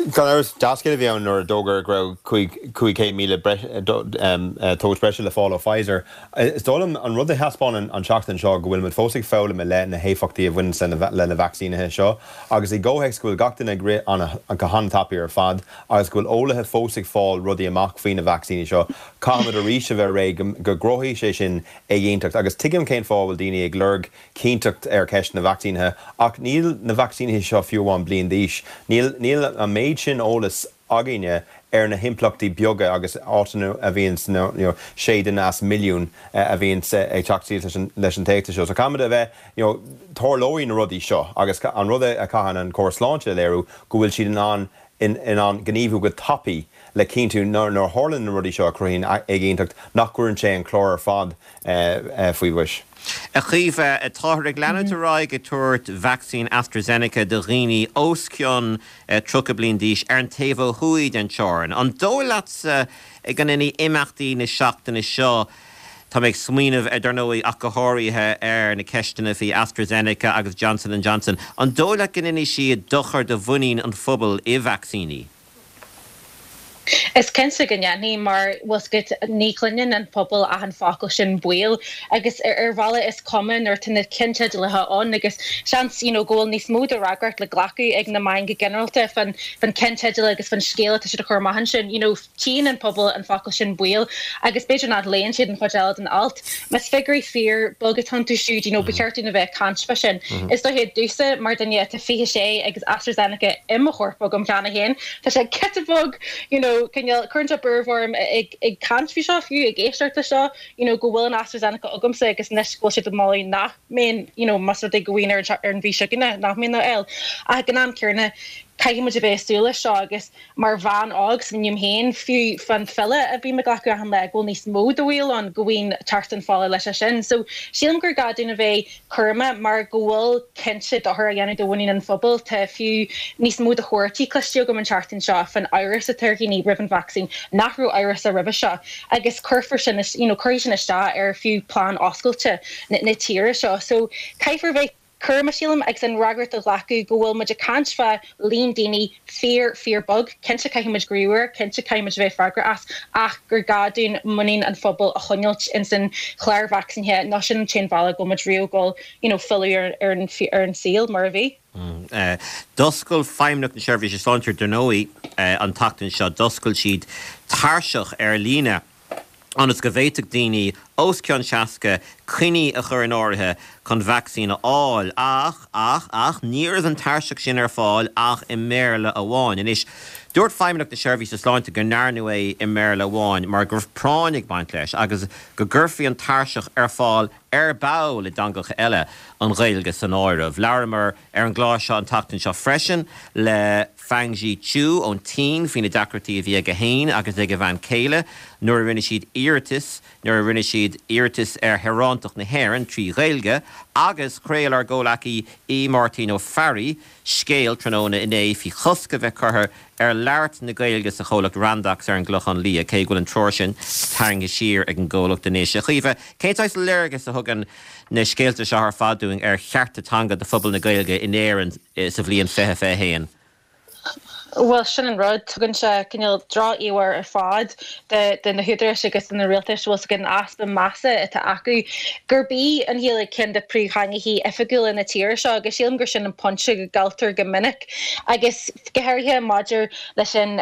Gan amhras dea-scéal a bhí ann nuair a d'fhógair go raibh cúig chéad míle dós breise le fáil ó Pfizer. Is dóigh liom an rud a thaispeánann an tseachtain seo go bhfuil muid fós ag foghlaim i leith na héifeachtaí a bhaineann le na vacsaínithe seo, agus i gcomhthéacs go bhfuil gach duine ag rith go han-tapaidh ar fad agus go bhfuil eolaithe fós ag fáil rudaí amach faoi na vacsaíní seo, caithfimid arís a bheith réidh go gcruthóidh sé sin éiginnteacht. Agus tuigim cén fáth a bhfuil daoine ag lorg cinnteacht ar cheist na vacsaínithe, ach níl na vacsaínithe seo fiú amháin bliain d'aois. Níl níl an méid sin eolas againne ar na himpleachtaí beaga agus áiteanna a bhíonn you know, sé duine as milliún a bhíonn ag teacht síos leis an, leis an téachtadh seo. So caithfimid a bheith you know, tarlóidh na rudaí seo agus an rud a chaitheann an córas sláinte a léiriú go bhfuil siad in ann in, in ann gníomhú go tapaidh le cinntiú nuair a tharlaíonn na rudaí seo a chruthaíonn éiginnteacht nach gcuireann sé an clár ar fad faoi bhois. A Chaoimhe, táthar ag leanúint ar aghaidh ag tabhairt vacsaín AstraZeneca do dhaoine os cionn tríocha bliain d'aois ar an taobh ó thuaidh den teorainn. An dóigh leatsa go ndéanfaidh imeachtaí na seachtaine seo, tá mé ag smaoineamh ar dar ndóigh ach go háirithe ar na ceisteanna faoi AstraZeneca agus Johnson and Johnson, an dóigh leat go ndéanfaidh siad dochar do mhuinín an phobail i vacsaíní? Is cinnte go ndéanfaidh mar bhfuil ní chluineann an pobal ach an focal sin baol agus ar ar bhealach is cuma nuair atá na ceannteidealaithe ann agus seans you know, go bhfuil níos mó de fhreagracht le glacadh ag na meáin go ginearálta fan fan ceannteideal agus fan scéal atá siad a chur amach ansin you know, tchíonn an pobal an focal sin baol agus b'fhéidir nach léann siad an chuid eile den alt. Más figiúirí fíorbheag atá iontu siúd you know, ba cheart dúinn a bheith ag caint fá sin. Is dóiche domhsa mar duine atá fiche sé agus AstraZeneca i mo chorp agam cheana féin, tá sé giota beag you know, cineál cuireann sé buaireamh orm ag ag caint faoi seo fiú ag éisteacht leis seo you know, go bhfuil an AstraZeneca agamsa agus anois go bhfuil siad ag moladh nach mbeinn you know, más rud é go bhfuil ar ar an mhí seo chugainn nach mbeinn á fháil. Ach ag an am céanna caithfidh muid a bheith ag súil leis seo agus mar bhean óg smaoiním féin fiú fan phiolla a bhím ag glacadh achan lá go bhfuil níos mó de bhaol ann go bhfuil teacht an fola leis sin. So sílim gur gá dúinn a bheith cúramach mar go bhfuil cinnte dochar á dhéanamh do mhuinín an phobail tá fiú níos mó de chomharthaí cloiste agam an tseachtain seo fan amhras atá ar dhaoine roimh an vacsaín nach raibh amhras roimhe seo agus cuirfear sin you know, cuirfidh sin isteach ar fiú plean oscailte na, na tíre seo. So caithfear bheith cúramach sílim agus an fhreagracht a ghlacadh go bhfuil muid ag caint fá líon daoine fíor fíorbheag, cinnte caithfidh muid gníomhú air, cinnte caithfidh muid bheith freagrach as ach gur gá dúinn muinín an phobail a choinneáil ins an chlár vacsaínithe nó sin an t-aon bhealach go bhfuil muid riamh ag dul you know, filleadh ar, ar, an, ar an saol mar a bhí. Mm. D'oscail Feidhmeannacht na Seirbhíse Sláinte dar ndóigh an tseachtain seo d'oscail siad tairseach ar líne ionas go bhféadfadh daoine os cionn seasca coinní a chur in áirithe chun vacsaín a fháil ach ach ach ní raibh an tairseach sin ar fáil ach i mBéarla amháin. Anois dúirt Feidhmeannacht na Seirbhíse Sláinte go ndearnadh é i mBéarla amháin mar go raibh práinn ag baint leis agus go gcuirfí an tairseach ar fáil ar ball i dteangacha eile an Ghaeilge san áireamh. Labhramar ar an gclár seo an tseachtain seo freisin le Fangji Chu ón tSín faoi na deacrachtaí a bhí aige féin agus ag a bhean chéile nuair a rinne siad iarratas nuair a rinne siad iarratas ar shaoránacht na hÉireann trí Ghaeilge agus chraol ár gcomhghleacaí Aodh Máirtín Ó Fearraigh scéal tráthnóna inné faoi chosc a bheith curtha ar labhairt na Gaeilge sa chomhlacht Randox ar an gClochán Liath cé go bhfuil an treoir sin tarraingthe siar ag an gcomhlacht anois. A Chaoimhe, cén saghas léargas a thugann na scéalta seo ar fad dúinn ar chearta teanga do phobal na Gaeilge in Éirinn sa bhliain fiche fiche haon? Bhuel, sin an rud, tugann sé cineál droch-íomhá ar fad de na húdaráis agus de na rialtais, bhfuil 's agat, an easpa measa atá acu gurb í an Ghaeilge ceann de phríomhtheangachaí oifigiúla na tíre seo agus sílim gur sin an pointe go gcailltear go minic agus go háirithe maidir leis an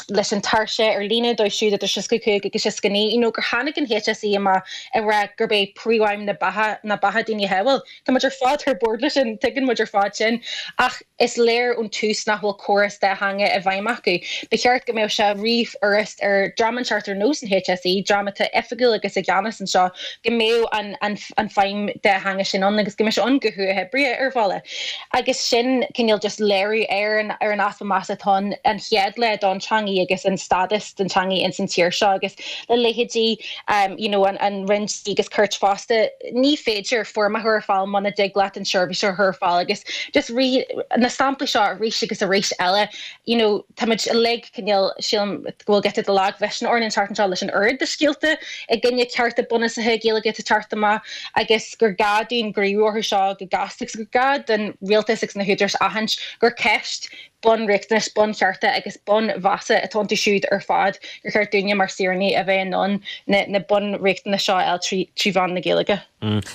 leis an tairseach ar líne dóibh siúd idir seasca cúig agus seasca naoi, you know gur tháinig an HSE amach ag rá gurb é príomhaidhm na beatha ná beatha daoine a shábháil. Tá muid ar fad ar bord leis sin, tuigeann muid ar fad sin ach is léir ón tús nach bhfuil córas dá theanga i bhfeidhm acu. Ba cheart go mbeadh sé rífhurast ar dream inteacht ar nós an HSE, dream atá oifigiúil agus i gceannas anseo, go mbeadh an an an feidhm dá theanga sin ann agus go mbeadh sé ann go huathoibríoch ar bhealach. Agus sin cineál just léiriú ar an ar an easpa measa atá ann an chéad lá don teangaidh agus an stádas don teangaidh ins an tír seo agus le leithéidí um, you know, an, an Roinn Dlí agus Cirt fosta, ní féidir foirm a chur ar fáil muna dtig leat an seirbhís a chur ar fáil agus just rí, na samplaí seo arís agus arís eile you know, táimid uilig cineál sílim go bhfuil giota de lagmhisneach orainn an tseachtain seo leis an oiread de scéalta i gcoinne cearta bunúsacha Gaeilge atá ag teacht amach agus gur gá dúinn gníomhú orthu seo go gasta agus gur gá don rialtas agus na húdaráis aithint gur ceist bunriachtanais, bunchearta agus bunmheasa atá iontu siúd ar fad gur cheart dúinne mar saoránaigh a bheith in ann na na bunriachtanais seo a fháil trí trí mheán na Gaeilge.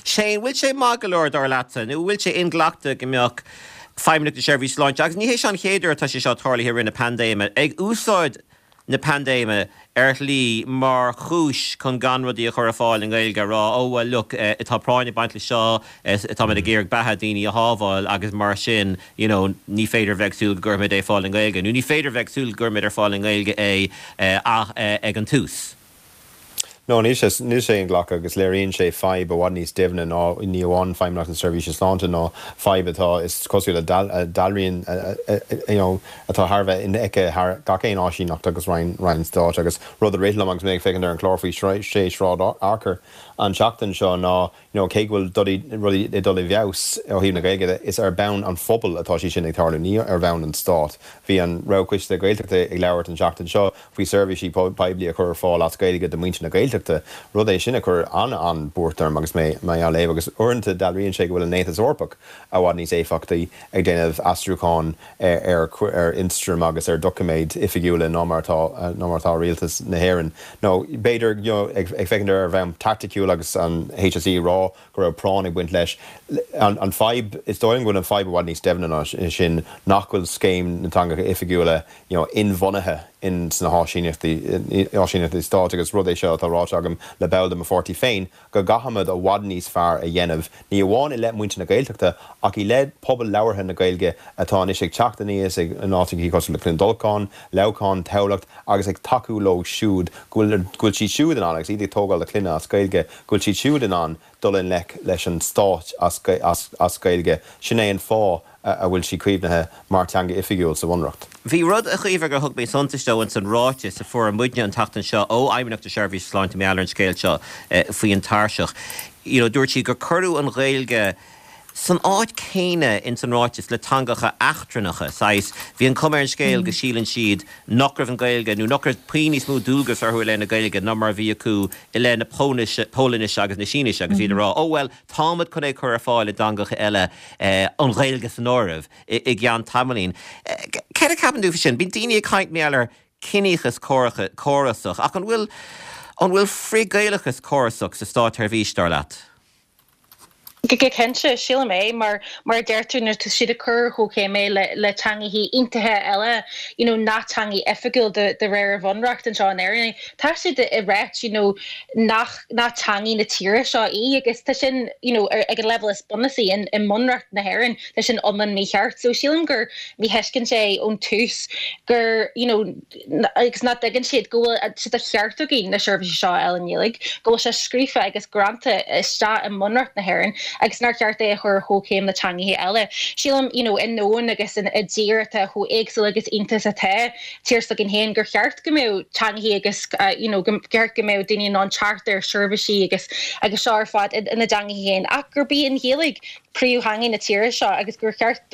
Shane, bhfuil sé maith go leor dar leatsa nó bhfuil sé inghlactha go mbeadh Feidhmeannacht na Seirbhíse Sláinte, agus ní hé seo an chéad uair atá sé seo tarlaithe i rith na paindéime, ag úsáid na paindéime ar shlí mar chúis chun gan rudaí a chur ar fáil i nGaeilge, a rá, oh well look, tá práinn ag baint le seo, táimid ag iarraidh beatha daoine a shábháil agus mar sin, you know, ní féidir a bheith ag súil go gcuirfimid é ar fáil i nGaeilge, nó ní féidir a bheith ag súil go gcuirfimid ar fáil i nGaeilge é ag an tús. No, níl sé níl sé inghlactha agus léiríonn sé fadhb i bhfad níos doimhne ná ní amháin Feidhmeannacht na Seirbhíse Sláinte ná fadhb atá is cosúil le dealraíonn you know, atá thar bheith infheicthe thar gach aon áisíneacht agus roinn roinn stáit agus rud a rith liom agus mé ag féachaint ar an chlár faoi sé Sráid Fhearchair an tseachtain seo ná you know, cé go bhfuil rudaí ag dul i bhfeabhas ó thaobh na Gaeilge de, is ar bhonn an phobail atá sé sin ag tarlú, ní ar bhonn an stáit. Bhí an Roghchoiste Gaeltachta ag labhairt an tseachtain seo faoi seirbhísí poiblí a chur ar fáil as Gaeilge do mhuintir na Gaeltachta, rud é sin a chuir an-an-bhuairt orm agus mé mé á léamh agus uaireanta dealraíonn sé go bhfuil an Aontas Eorpach i bhfad níos éifeachtaí ag déanamh aistriúchán ar ar ionstraim agus ar dhoiciméid oifigiúla ná mar atá ná mar atá rialtas na hÉireann. Nó b'fhéidir you know, ag ag féachaint ar bhonn taiticiúil agus an HSE rá go raibh práinn ag baint leis. An an fadhb is dóigh liom go bhfuil an fadhb i bhfad níos doimhne ná sin nach bhfuil scéim na dteangacha oifigiúla you know, inbhunaithe in sna háisíneachtaí áisíneachtaí stáit agus rud é seo atá ráite agam le ball de mo pháirtí féin go gcaithfimid i bhfad níos fearr a dhéanamh ní amháin i leith muintir na Gaeltachta ach i leith pobal labhartha na Gaeilge atá anois ag teacht aníos ag in áiteacha cosúil le Cluain Dolcáin, Leamhcán, Tamhlacht agus ag tacú leo siúd go bhfuil go bhfuil siad siúd in ann agus iad ag tógáil a gclainne as Gaeilge go bhfuil siad siúd in ann dul i ngleic leis an stát as as as Gaeilge. Sin é an fáth a bhfuil sí caomhnaithe mar teanga oifigiúil sa Bhunreacht. Bhí rud a Chaoimhe gur thug mé suntas dó ins an ráiteas a fuair muidne an tseachtain seo ó Fheidhmeannacht na Seirbhíse Sláinte mar gheall ar an scéal seo faoi an tairseach. You know, dúirt siad gur cuireadh an Ghaeilge san áit céanna ins an ráiteas le teangacha eachtrannacha saghas bhí an chuma ar an scéal go síleann siad nach raibh an Ghaeilge nó nach raibh puinn níos mó dualgas orthu i leith na Gaeilge ná mar a bhí acu i leith na Polainnis agus na Sínise agus iad ag rá, oh well, táimid chun é chur ar fáil i dteangacha eile an Ghaeilge san áireamh i gceann tamaillín. Céard a cheapann tú faoi sin? Bíonn daoine ag caint mar gheall ar ciníochas córasach ach an bhfuil an bhfuil frith-Ghaelachas córasach sa státsheirbhís dar leat? Go cinnte sílim é mar mar a deir tú nuair tá siad ag cur chomh chéim le le teangacha iontacha eile you know, nach teanga oifigiúil de, de réir an bhunreacht anseo in Éirinn. Tá siad ag ráit you know, nach nach teanga na tíre seo í agus tá sin you know, ar, ag an level is bunúsaí in, i mbunreacht na hÉireann tá sin iomlán mícheart. So sílim gur míthuiscint é ón tús gur you know, agus nach dtuigeann siad go bhfuil sé de cheart againn na seirbhísí seo a fháil i nGaeilge, go bhfuil sé scríofa agus greanta isteach i mbunreacht na hÉireann agus nár cheart é a chur chomh céim le teangacha eile. Sílim you know, i ndomhan agus in i dtír atá chomh éagsúil agus iontach atá tír s'againn féin gur cheart go mbeadh teangacha agus uh, you know, go ceart go mbeadh daoine in ann teacht ar seirbhísí agus agus seo ar fad ina dteangacha féin ach gurb í an Ghaeilge príomhtheanga na tíre seo agus gur cheart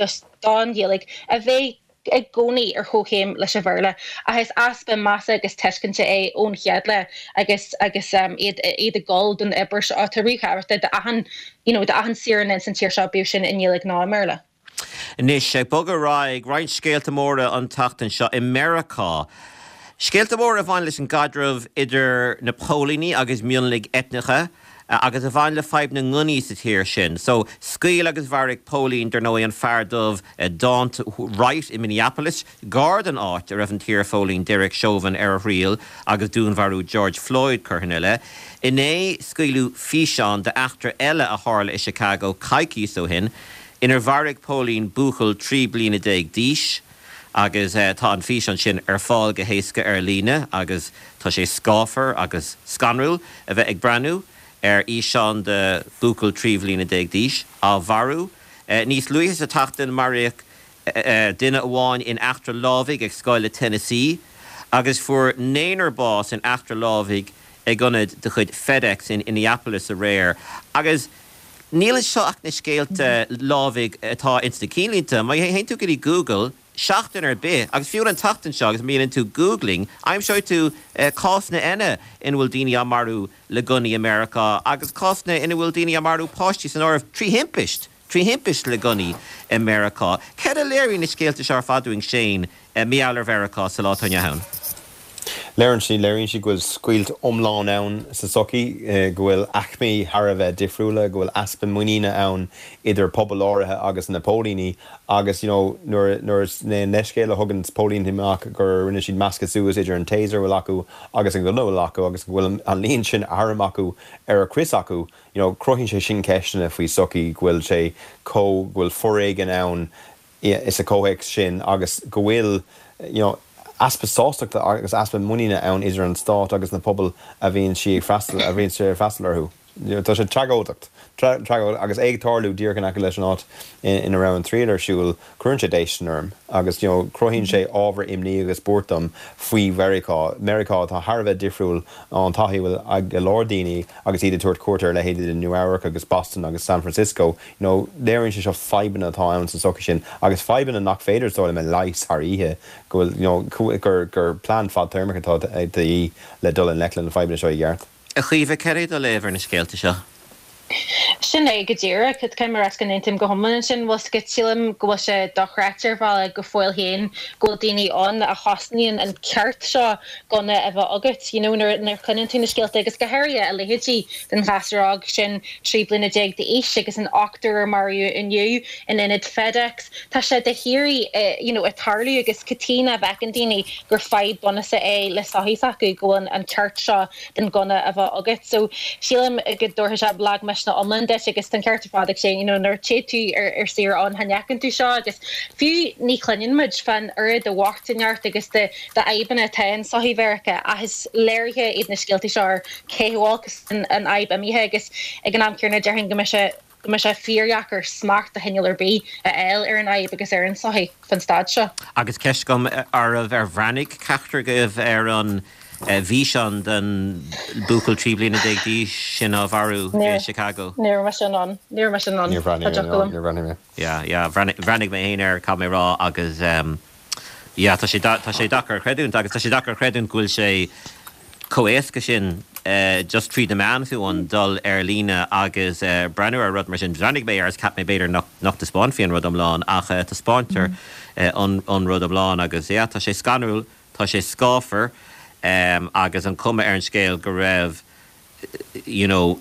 don Ghaeilge a bheith i gcónaí ar chomhchéim leis an Bhéarla ach is easpa measa agus tuiscinte é ón chéad lá agus agus um, iad iad ag gol don obair seo atá ríthábhachtach d'achan you know, d'achan saoránach san tír seo bíodh sin i nGaeilge nó i mBéarla. Anois, ag bogadh ar aghaidh, roinnt scéalta móra an tseachtain seo i Meiriceá. Scéalta móra a bhain leis an gcaidreamh idir na póilíní agus mionlaigh eitneacha agus a bhain le fadhb na ngunnaí sa tír sin. So, scaoil agus mharaigh póilín, dar ndóigh, an fear dubh Daunte Wright i Minneapolis, gar don áit a raibh an t-iarphóilín Derek Chauvin ar a thriail agus dúnmharú George Floyd curtha ina leith. Inné, scaoileadh físeán d'eachtra eile a tharla i Chicago coicís ó shin, inar mharaigh póilín buachaill trí bliana déag d'aois agus tá an físeán sin ar fáil go héasca ar líne agus tá sé scáfar agus scanrúil a bheith ag breathnú ar fhíseán de bhuachaill trí bhliana déag d'aois á mharú. Níos luaithe sa tseachtain maraíodh duine amháin in eachtra lámhaigh ag scoil i Tennessee agus fuair naonúr bás in eachtra lámhaigh ag ionad de chuid FedEx in Minneapolis aréir. Agus níl anseo ach na scéalta lámhaigh atá ins na cinnlínte. Má théann tú go dtí Google seachtain ar bith, agus fiú an tseachtain seo agus má dhéanann tú Googling, aimseoidh tú cásanna eile ina bhfuil daoine á marú le gunnaí i Meiriceá agus cásanna ina bhfuil daoine á marú, páistí san áireamh, trí thimpist, trí thimpist le gunnaí i Meiriceá. Céard a léiríonn na scéalta seo ar fad dúinn, Shane, mar gheall ar Mheiriceá sa lá atá inniu ann? Léiríonn siad, léiríonn siad go bhfuil scoilt iomlán ann sa tsochaí, go bhfuil aicmí thar a bheith difriúla, go bhfuil easpa muiníne ann idir pobail áirithe agus na póilíní agus you know nuair nuair is é an leithscéal a thugann póilíní amach gur rinne siad meascadh suas idir an taser a bhfuil acu agus an gunna a bhfuil acu agus go bhfuil an líon sin arm acu ar a gcrios acu you know cruthaíonn sé sin ceisteanna faoi sochaí go bhfuil sé chomh go bhfuil foréigean ann sa chomhthéacs sin agus go bhfuil you know easpa sástachta agus easpa muiníne ann idir an stát agus na pobail a bhíonn sí ag freastal a bhíonn sé ag freastal orthu. Tá sé tragóideach, tragóideach agus é ag tarlú díreach in aice leis an áit ina raibh an triail ar siúl, cuireann sé déistin orm agus you know cruthaíonn sé ábhar imní agus buairt dom faoi Mheiriceá, Meiriceá atá thar a bheith difriúil ón taithí a bhfuil ag go leor daoine agus iad ag tabhairt cuairt ar leithéidí de Nua Eabhrac agus Boston agus San Francisco. You know léiríonn sé seo fadhbanna atá ann sa tsochaí sin agus fadhbanna nach féidir is dóigh liom a leigheas thar oíche, go bhfuil you know gur gur plean fadtéarmach atá de dhíth le dul i ngleic le na fadhbanna seo i gceart. A Chaoimhe, céard é do léamh ar na scéalta seo? Sin é go díreach, caithfidh mé a rá go n-aontaím go hiomlán ansin. Bhfuil 's agat, sílim go bhfuil sé dochreidte ar bhealach go fóill féin go bhfuil daoine ann a chosnaíonn an ceart seo gunna a bheith agat, you know, nuair nuair a chluineann tú na scéalta agus go háirithe a leithéidí den ghasúr óg sin trí bliana déag d'aois agus an ochtar a maraíodh inniu in ionad FedEx. Tá sé de shíoraí you know ag tarlú agus cad chuige nach bhfeiceann daoine gur fadhb bunúsach é le sochaí s'acu go bhfuil an ceart seo den gunna a bheith agat. So sílim go dtabharfaidh sé lagmhisneach iomlán duit agus tá an ceart ar fad ag Shane, you know, nuair a téann tú ar ar saoire ann chan fheiceann tú seo agus fiú ní chluineann muid fán oiread de bhochtaineacht agus de de fhadhbanna atá in sochaí Mheiriceá ach is léirithe iad na scéaltaí seo ar cé chomh olc is an fhadhb imithe agus ag an am céanna déarfainn go mbeidh sé go mbeidh sé fíordheacair smacht de chineál ar bith a fháil ar an fhadhb agus ar an tsochaí fan staid seo. Agus ceist agam oraibh, ar bhreathnaigh ceachtar agaibh ar an bhfíseán den buachaill trí bliana déag d'aois sin á mharú i Chicago? Ní raibh mise in ann. Ní raibh mise in ann. Níor bhreathnaigh Tá mé, deoch agam. níor bhreathnaigh mé. Yeah, yeah, bhreathnaigh mé féin air, caithfidh mé a rá, agus yeah, tá sé tá sé deacair a chreidiúint agus tá sé deacair a chreidiúint go bhfuil sé chomh éasca sin just tríd na meáin fiú amháin dul ar líne agus breathnú ar rud mar sin. Bhreathnaigh mé air is cheap mé b'fhéidir nach nach dtaispeánfaí an rud iomlán ach taispeántar an an rud iomlán agus yeah, tá sé scanrúil, tá sé scáfar agus an cuma ar an scéal go raibh you know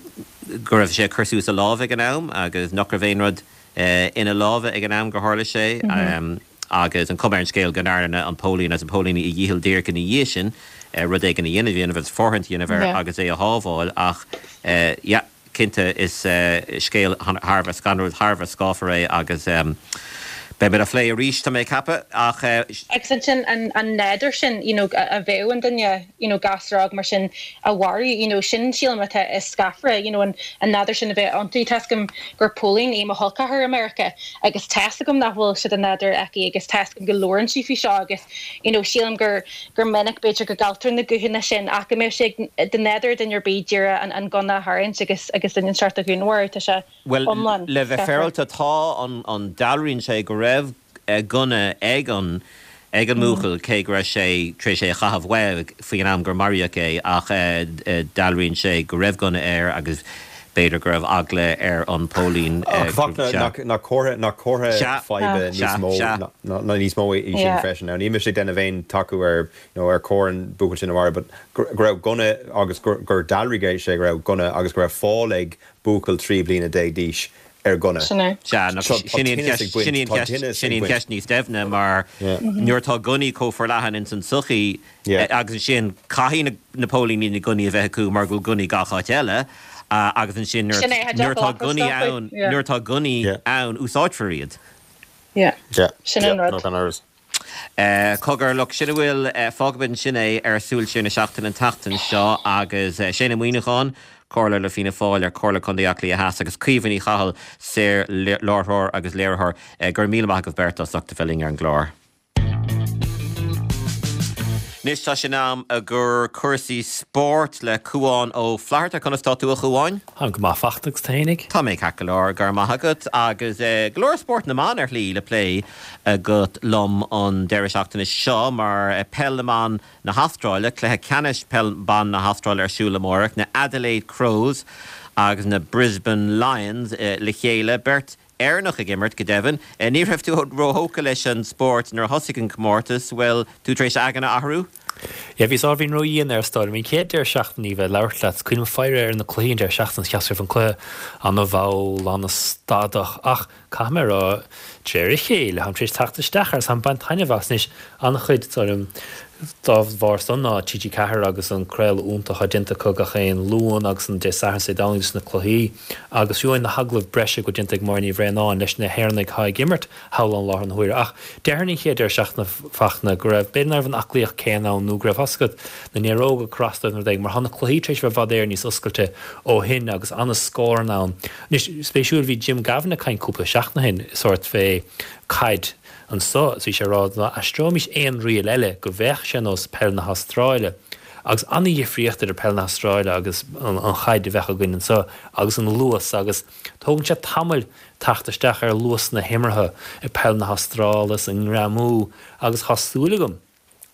go raibh sé ag cur suas a lámh ag an am agus nach raibh aon rud ina lámha ag an am gur tharla sé agus an cuma ar an scéal go ndearna an póilín as an póilíní a dhícheall díreach ina dhiaidh sin rud éigin a dhéanamh dhéanamh agus fóirithint a dhéanamh air agus é a shábháil ach yeah cinnte is scéal thar a bheith scanrúil, thar a bheith scáfar é agus beimid á phlé arís tá mé ag ceapadh ach. Agus ansin an an nádúr sin you know a bheadh an duine you know gasúr óg mar sin a mharú you know sin sílim atá is scáfaire you know an an nádúr sin a bheith iontu. Tá's agam gur póilín í mo chol ceathar i Meiriceá agus tá's agam nach bhfuil sé de nádúr aici agus tá's agam go labhrann sí faoi seo agus you know sílim gur gur minic b'fhéidir go gcailltear na guthanna sin ach go mbeadh sé de nádúr duine ar bith díreach an an gunna a tharraingt agus agus duine inteacht a dhúnmharú tá sé Bhuel, iomlán le bheith scáfar. féaráilte tá an an dealraíonn sé go raibh gunna ag an ag an mbuachaill cé go raibh sé tar éis é a chaitheamh uaidh faoin am gur maraíodh é ach dealraíonn sé go raibh gunna air agus b'fhéidir go raibh eagla ar an póilín. Nach comhartha faidhbe níos mó ná níos mó í sin freisin. Níl mise ag déanamh aon tacú ar ar chóir an buachaill sin a mharú, but go raibh gunna agus gur dealraigh sé go raibh gunna agus go raibh fáil ag buachaill trí bliana déag d'aois ar gunna. Sin é. Sea, nó sin í an cheist, sin í an cheist, sin í an cheist níos doimhne mar nuair atá gunnaí chomh forleathan ins an tsochaí agus ansin caithfidh na póilíní na gunnaí a bheith acu mar go bhfuil gunnaí gach áit eile agus ansin nuair atá gunnaí ann, nuair atá gunnaí ann úsáidfear iad. Sin an rud. Cogar, look, sin a bhfuil, fágfaimid ansin é ar Súil Siar na Seachtaine an tseachtain seo agus Shane Ó Muíneacháin, Comhairleoir le Fianna Fáil ar Chomhairle Contae Átha Cliath Theas agus Caoimhe Ní Chathail, saor-láithreoir agus léiritheoir. Go raibh míle maith agaibh beirt as ucht a bheith linn ar an gclár. Anois tá sé in am i gcomhair cúrsaí spóirt le Cúán Ó Flatharta. Conas tá tú a Chúáin? Táim go maith a Fhachtna agus tú fhéinig? Tá mé ceart go leor, go raibh maith agat. Agus go leor spórt na mban ar shlí le plé agat liom an deireadh seachtaine seo mar Peil na mBan na hAstráile, cluiche ceannais Peil Ban na hAstráile ar siúl amárach, na Adelaide Crows agus na Brisbane Lions le chéile, beirt Éireannach ag imirt, go deimhin. Ní raibh tú róthógtha leis an spórt nuair a thosaigh an comórtas, bhfuil tú tar éis aigne a athrú? Yeah, bhíos ábhairín ródhian air is dóigh liom. An chéad deireadh seachtaine bheith ag labhairt leat, is cuimhin liom faire ar na cluichí an deireadh seachtaine, cheapas go raibh an cluiche an-mhall, an-stadach, ach caithfidh mé a rá, de réir a chéile, táim tar éis teacht isteach air agus táim ag baint taitneamh as anois. An-chuid, is dóigh liom, dá bharr san ná T G ceathair agus an craoladh iontach atá déanta acu gach aon Luan agus an Dé Sathairn is Dé Domhnaigh dos na cluichí agus fiú amháin na hagallaimh breise go bhfuil déanta ag Máire Ní Bhraonáin leis na hÉireannaigh atá ag imirt thall ann láthair na huaire. Ach déarfainn an chéad deireadh seachtaine Fachtna go raibh, b'fhéidir nach raibh an aclaíocht céanna ann nó go raibh, tá's agat, na néaróga ag cur as dóibh nó rud éigin mar tá na cluichí tar éis a bheith i bhfad Éireann níos oscailte ó shin agus an-scóranna ann. Anois, spéisiúil, bhí Jim Gavin ag caint cúpla seachtain ó shin sórt fé caid anso is bhí sé ag rá dá n-aistreoimis aon riail eile go bheadh sé ar nós peil na hAstráile. Agus an-dhifríocht idir peil na hAstráile agus an chaid a bheadh againn anso agus an luas agus tógann sé tamaill teacht isteach ar luas na himeartha i peil na hAstráile is an ngreamú agus thá súil agam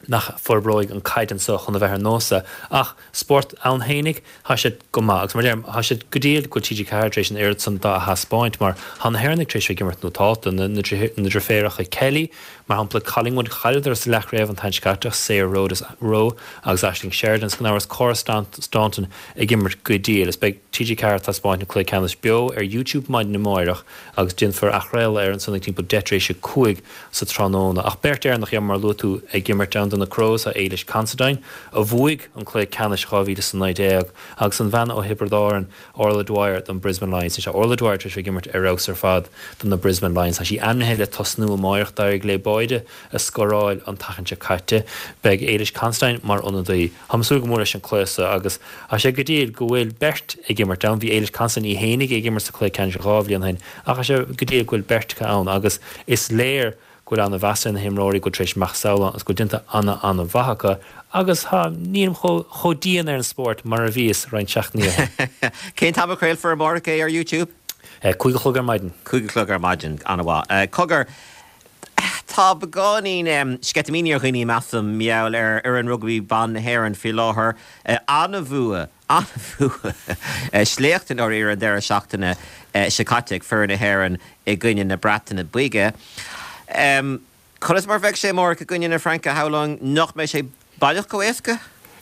nach forbróidh an caid anso chun a bheith ar nós é. Ach spórt ann fhéinig, thá sé go maith. Agus mar a deirim, thá sé go diail go bhfuil T G ceathair tar éis an oiread san dá a thaispeáint mar thá na hÉireannaigh tar éis bheith ag imirt nótálta, na deirféaracha Kelly, mar shampla, Collingwood, chailleadar sa leathchraobh an tseachtain seo caite ach Sayer Rowe agus Aisling Sheridan is gan amhras Cora Staunton ag imirt go diail. Is beidh T G ceathair ag taispeáint an cluiche ceannais beo ar YouTube maidin amáireach agus déanfar athchraoladh air ansan ag timpeall deich tar éis a cúig sa tráthnóna. Ach beirt Éireannach, mar a luaigh tú, ag imirt ann do na Crows, tá Ailish Considine, a bhuaigh an cluiche ceannais dhá mhíle is a naoi déag, agus an bhean ó Thiobraid Árann, Orla Dwyer don Brisbane Lions. Anois tá Orla Dwyer tar éis bheith ag imirt ar fheabhas ar fad do na Brisbane Lions. Tá sí ainmnithe le tosnú amáireach. D'éirigh léi báide a scóráil an tseachtain seo caite. Beidh Ailish Considine mar ionadaí. Táim ag súil go mór leis an cluiche seo agus tá sé go diail go bhfuil beirt ag imirt ann. Bhí Ailish Considine í fhéinig ag imirt sa chluiche ceannais dhá bhliain ó shin ach tá sé go diail go bhfuil beirt acu ann agus is léir go bhfuil ana-mheas ar na himreoirí, go bhfuil tar éis macasamhail ann agus go bhfuil déanta ana-ana-mhaith acu agus tá, nílim chomh chomh dian ar an spórt mar a bhíos roinnt seachtainí ó shin. Cén t-am a chraolfar amárach é ar YouTube? Cúig a chlog ar maidin. Cúig a chlog ar maidin, an-mhaith. Cogar, tá beagáinín sceitimíní ar dhaoine, measaim, mar gheall ar fhoireann rugbaí ban na hÉireann faoi láthair. An-bhua, an-bhua, sléacht i ndáiríre an deireadh seachtaine seo caite ag foireann na hÉireann i gcoinne na Breataine Bige. Conas mar a bheidh sé amárach i gcoinne na Fraince, shamhlóinn nach mbeidh sé baileach chomh éasca?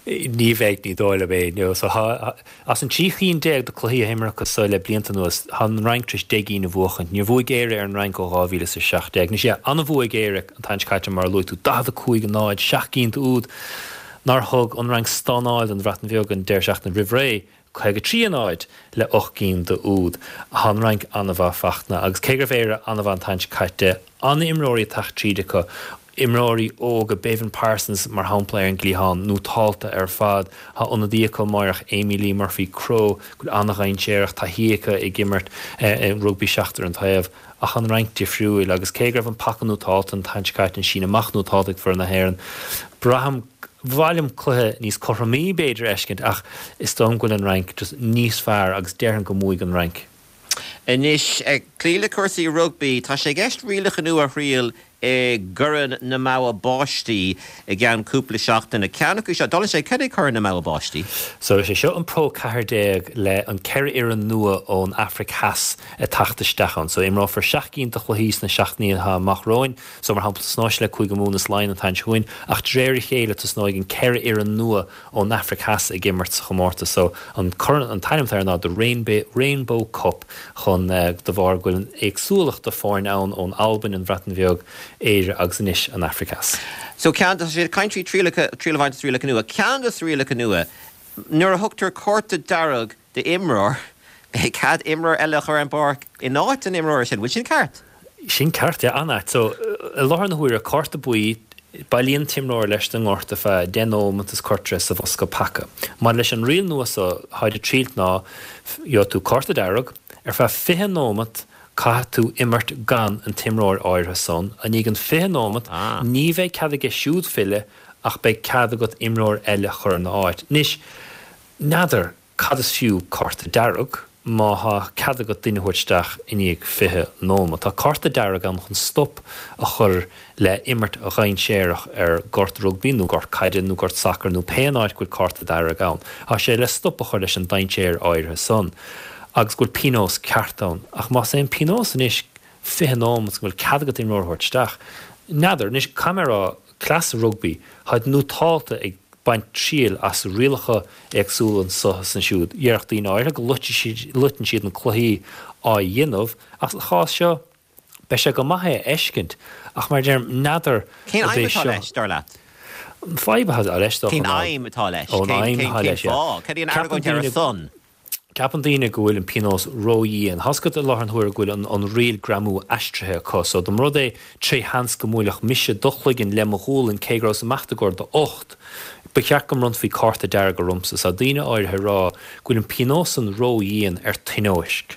Ní bheidh, ní dóigh liom é. No, so thá, as an trí chinn déag de cluichí a imríodh acu so le blianta anuas, thá an Fhrainc tar éis deich gcinn a bhuachaint. Níor bhuaigh Éire ar an Fhrainc ó dhá mhíle is a seacht déag. Anois, yeah, an-bhua ag Éire an tseachtain seo caite mar a luaigh tú, daichead a cúig a náid, seacht gcinn d'úd nár thug an Fhrainc stánáil don Bhreatain Bheag an deireadh seachtaine roimh ré. caoga trí a náid le ocht gcinn d'úd. Thá an Fhrainc an-mhaith Fachtna agus cé go raibh Éire an-mhaith an tseachtain seo caite, an-imreoirí ag teacht tríd acu, imreoirí óga, Béibhinn Parsons mar shampla ar an gcliathán, nótálta ar fad. Thá ionadaí acu amáireach, Amee-Leigh Murphy Crowe, go bhfuil an-dhainséarach, taithí aici ag imirt rugbaí seachtar an taobh. Ach an Fhrainc difriúil agus cé go raibh an paca nótálta an tseachtain seo caite, an síneadh amach nótálta ag foireann na hÉireann, braithim, Ba mhaith liom cluiche níos cothromaí b'fhéidir a fheiscint ach is dóigh liom go bhfuil an Fhrainc just níos fearr agus déarfainn go mbuafaidh an Fhrainc. Anois, ag cloí le cúrsaí rugbaí, tá sé i gceist rialacha nua a thriail i gCorn na mBogha Báistí i gceann cúpla seachtain. Ceann acu seo, dála sé, cad é Corn na mBogha Báistí? So is é seo an Pro ceathair déag le an ceithre fhoireann nua ón Afraic Theas ag teacht isteach ann. So imreofar seacht gcinn de chluichí sna seachtainí atá amach romhainn. So mar shampla tosnóidh sé le Cúige Mumhan is Laighean an tseachtain seo chugainn ach de réir a chéile tosnóidh an ceithre fhoireann nua ón Afraic Theas ag imirt sa chomórtas. So an corn, an t-ainm atá air ná The Rainbow, Rainbow Cup chun de bharr go bhfuil an éagsúlacht de foirne ann ón Albain, an Bhreatain Bheag, Éire agus anois an Afraic Theas. So ceann de, tá siad ag caint faoi trialacha, triail a bhaint as rialacha nua. Ceann de na rialacha nua, nuair a thugtar cárta dearg d'imreoir, beidh cead imreoir eile a chur ar an bpáirc in áit an imreora sin. Bhfuil sin ceart? Sin ceart, yeah, an-ait. So, i láthair na huaire, cárta buí, bailíonn an t-imreoir leis den ngortú ar feadh deich nóimeat is cuirtear é sa bhosca paca. Maidir leis an riail nua so, tháid ag triailt ná, gheobhaidh tú cárta dearg, ar feadh fiche nóimeat caithfidh tú imirt gan an t-imreoir áirithe san, i ndiaidh an fiche nóimeat, ní bheidh cead aige siúd filleadh ach beidh cead agat imreoir eile a chur ina áit. Anois, n'fheadar cad is fiú cárta dearg má thá cead agat duine a thabhairt isteach i ndiaidh fiche nóimeat. Tá cárta dearg ann chun stop a chur le imirt dhainséarach ar ghort rugbaí nó gort caide nó gort sacair nó pé an áit go bhfuil cárta dearg ann. Tá sé le stop a chur leis an dainséar áirithe san agus go bhfuil pionós ceart ann. Ach más é an pionós anois fiche nóimeat go bhfuil cead agat imreoir a thabhairt isteach, n'fheadar. Anois, caithfidh mé a rá, cleas rugbaí, tháid nótálta ag baint triail as rialacha éagsúla anso is ansiúd. Dhéarfadh daoine áirithe go loiteann siad na cluichí á dhéanamh, ach sa chás seo, beidh sé go maith é a fheiscint. Ach mar a deirim, n'fheadar Cén ab aidhm é atá seo. leis, dar leat? An fadhb atá leis, dócha, Cén ná. aidhm atá leis? Ó, an Cén, aidhm cén, atá cén leis, yeah. fáth? Cad é an Ceapann argóint ar a daoine. son? Ceapann daoine go bhfuil an pionós ró-dhian. Tá's agat i láthair na huaire go bhfuil an an riail greamú aistrithe acu so dá mba rud é tré sheans go mbuailfeadh mise do chloigeann le mo ghualainn cé go rabhas amach i gcomhair d'ucht, ba cheart go mbronnfaí cárta dearg ormsa. So tá daoine áirithe ag rá go bhfuil an pionós san ró-dhian ar tionóisc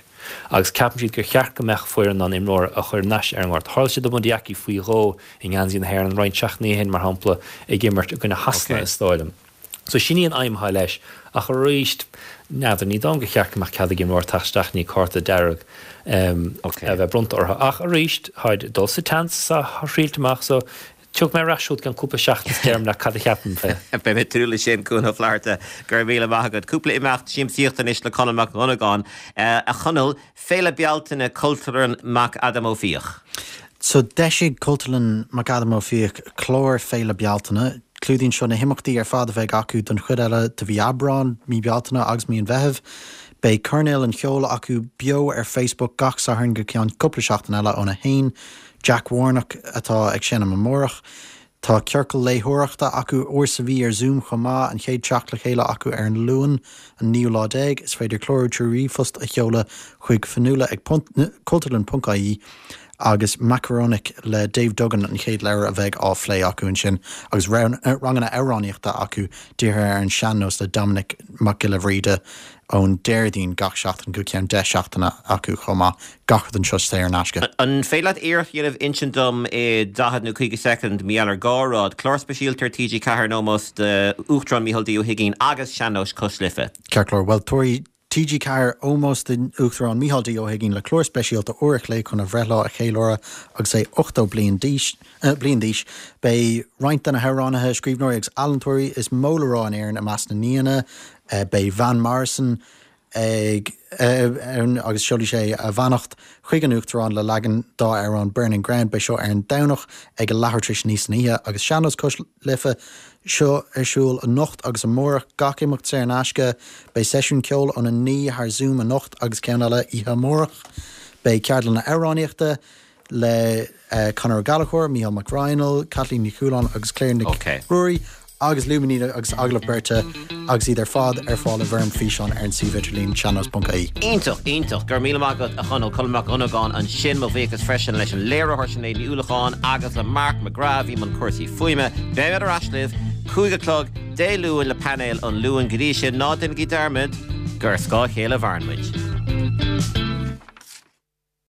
agus ceapann siad gur cheart go mbeadh foireann in ann imreoir a chur ar ais ar an ngort. Tharla sé do Bundee Aki faoi dhó i ngeansaí na hÉireann roinnt seachtainí ó shin, mar shampla, ag imirt i gcoinne Shasana is dóigh liom. So sin í an aidhm atá leis. Ach arís, n'fheadar, ní dóigh liom gur cheart go mbeadh cead ag imreoir teacht isteach i ndiaidh cárta dearg a bheith bronnta orthu. Ach arís, táid ag dul sa tseans is á thriailt amach so tiocfaidh mé ar ais chugat i gceann cúpla seachtain is déarfaidh leat cad a cheapaim fé. Beidh mé ag tnúth leis sin, Cuan Ó Flatharta. Go raibh míle maith agat. Cúpla imeacht siamsaíochta anois le Conall Mac Dhonnagáin. A Chonaill, Féile Bealtaine Cultúrlann McAdam Ó Fiaich. So d'eisigh Cultúrlann McAdam Ó Fiaich clár Féile Bealtaine. Clúdaíonn seo na himeachtaí ar fad a bheidh acu don chuid eile de mhí Aibreáin, mí Bealtaine agus mí an Mheithimh. Beidh Coirnéal an Cheoil acu beo ar Facebook gach Satharn go ceann cúpla seachtain eile óna haon. Jack Warnock atá ag seinm amárach. Tá ciorcal léitheoireachta acu uair sa mhí ar Zoom chomh maith, an chéad teacht le chéile acu ar an Luan, an naoú lá déag. Is féidir clárú trí ríomhphost a sheoladh chuig fionnuala ag cultúrlann ponc ie agus Makaronik le Dave Duggan an chéad leabhar a bheidh á phlé acu ansin agus ranganna amhránaíochta acu dírithe ar an sean-nós le Dominic Mac Giolla Bhríde ón Déardaoin gach seachtain go ceann deich seachtaine acu chomh maith. Gach rud anseo saor in aisce. An féidir leat iarracht a dhéanamh insint dom i daichead nó caoga soicind, mar gheall ar dhá rud, clár speisialta ar T G ceathair in ómós d'Uachtarán Micheál D Ó hUigínn agus Sean-Nós Cois Life? Ceart go leor. Bhuel, tabharfaidh T G ceathair ómós don Uachtarán Micheál D Ó hUigínn le clár speisialta uair a chloig chun a bhreithlá a cheiliúradh agus é ochtó bliain d'aois. Beidh roinnt de na hamhránaithe, scríbhneoirí agus ealaíontóirí is mó le rá in Éirinn i measc na n-aíonna. Beidh Van Morrison ag ann agus seolfaidh sé a bheannacht chuig an Uachtarán le leagan dá amhrán Burning Ground. Beidh seo ar an Domhnach ag a leathuair tar éis a naoi san oíche agus Sean-Nós Cois Life seo ar siúl anocht agus amárach, gach imeacht saor in aisce. Beidh seisiún ceoil óna naoi thar Zoom anocht agus ceann eile oíche amárach. Beidh ceardlanna amhránaíochta le Conor Ó Gallchóir, Mícheál Mac Raghnaill, Caitlín Ní Chualáin agus Claire Nic Ruairí agus Luimnígh agus agallamh beirte agus iad ar fad ar fáil i bhfoirm físeáin ar an suíomh idirlín seannos ponc I E. Iontach, iontach. Go raibh míle maith agat, a Chonaill. Conall Mac Dhonnagáin ansin. Mo bhuíochas freisin leis an léiritheoir Sinéad Ní Uallacháin agus le Mark McGrath a bhí i mbun cúrsaí fuaime. Beimid ar ais libh cúig a chlog Dé Luain le painéal an Luain. Go dtí sin, ná déanaigí dearmad gur ar scáth a chéile a mhaireann muid.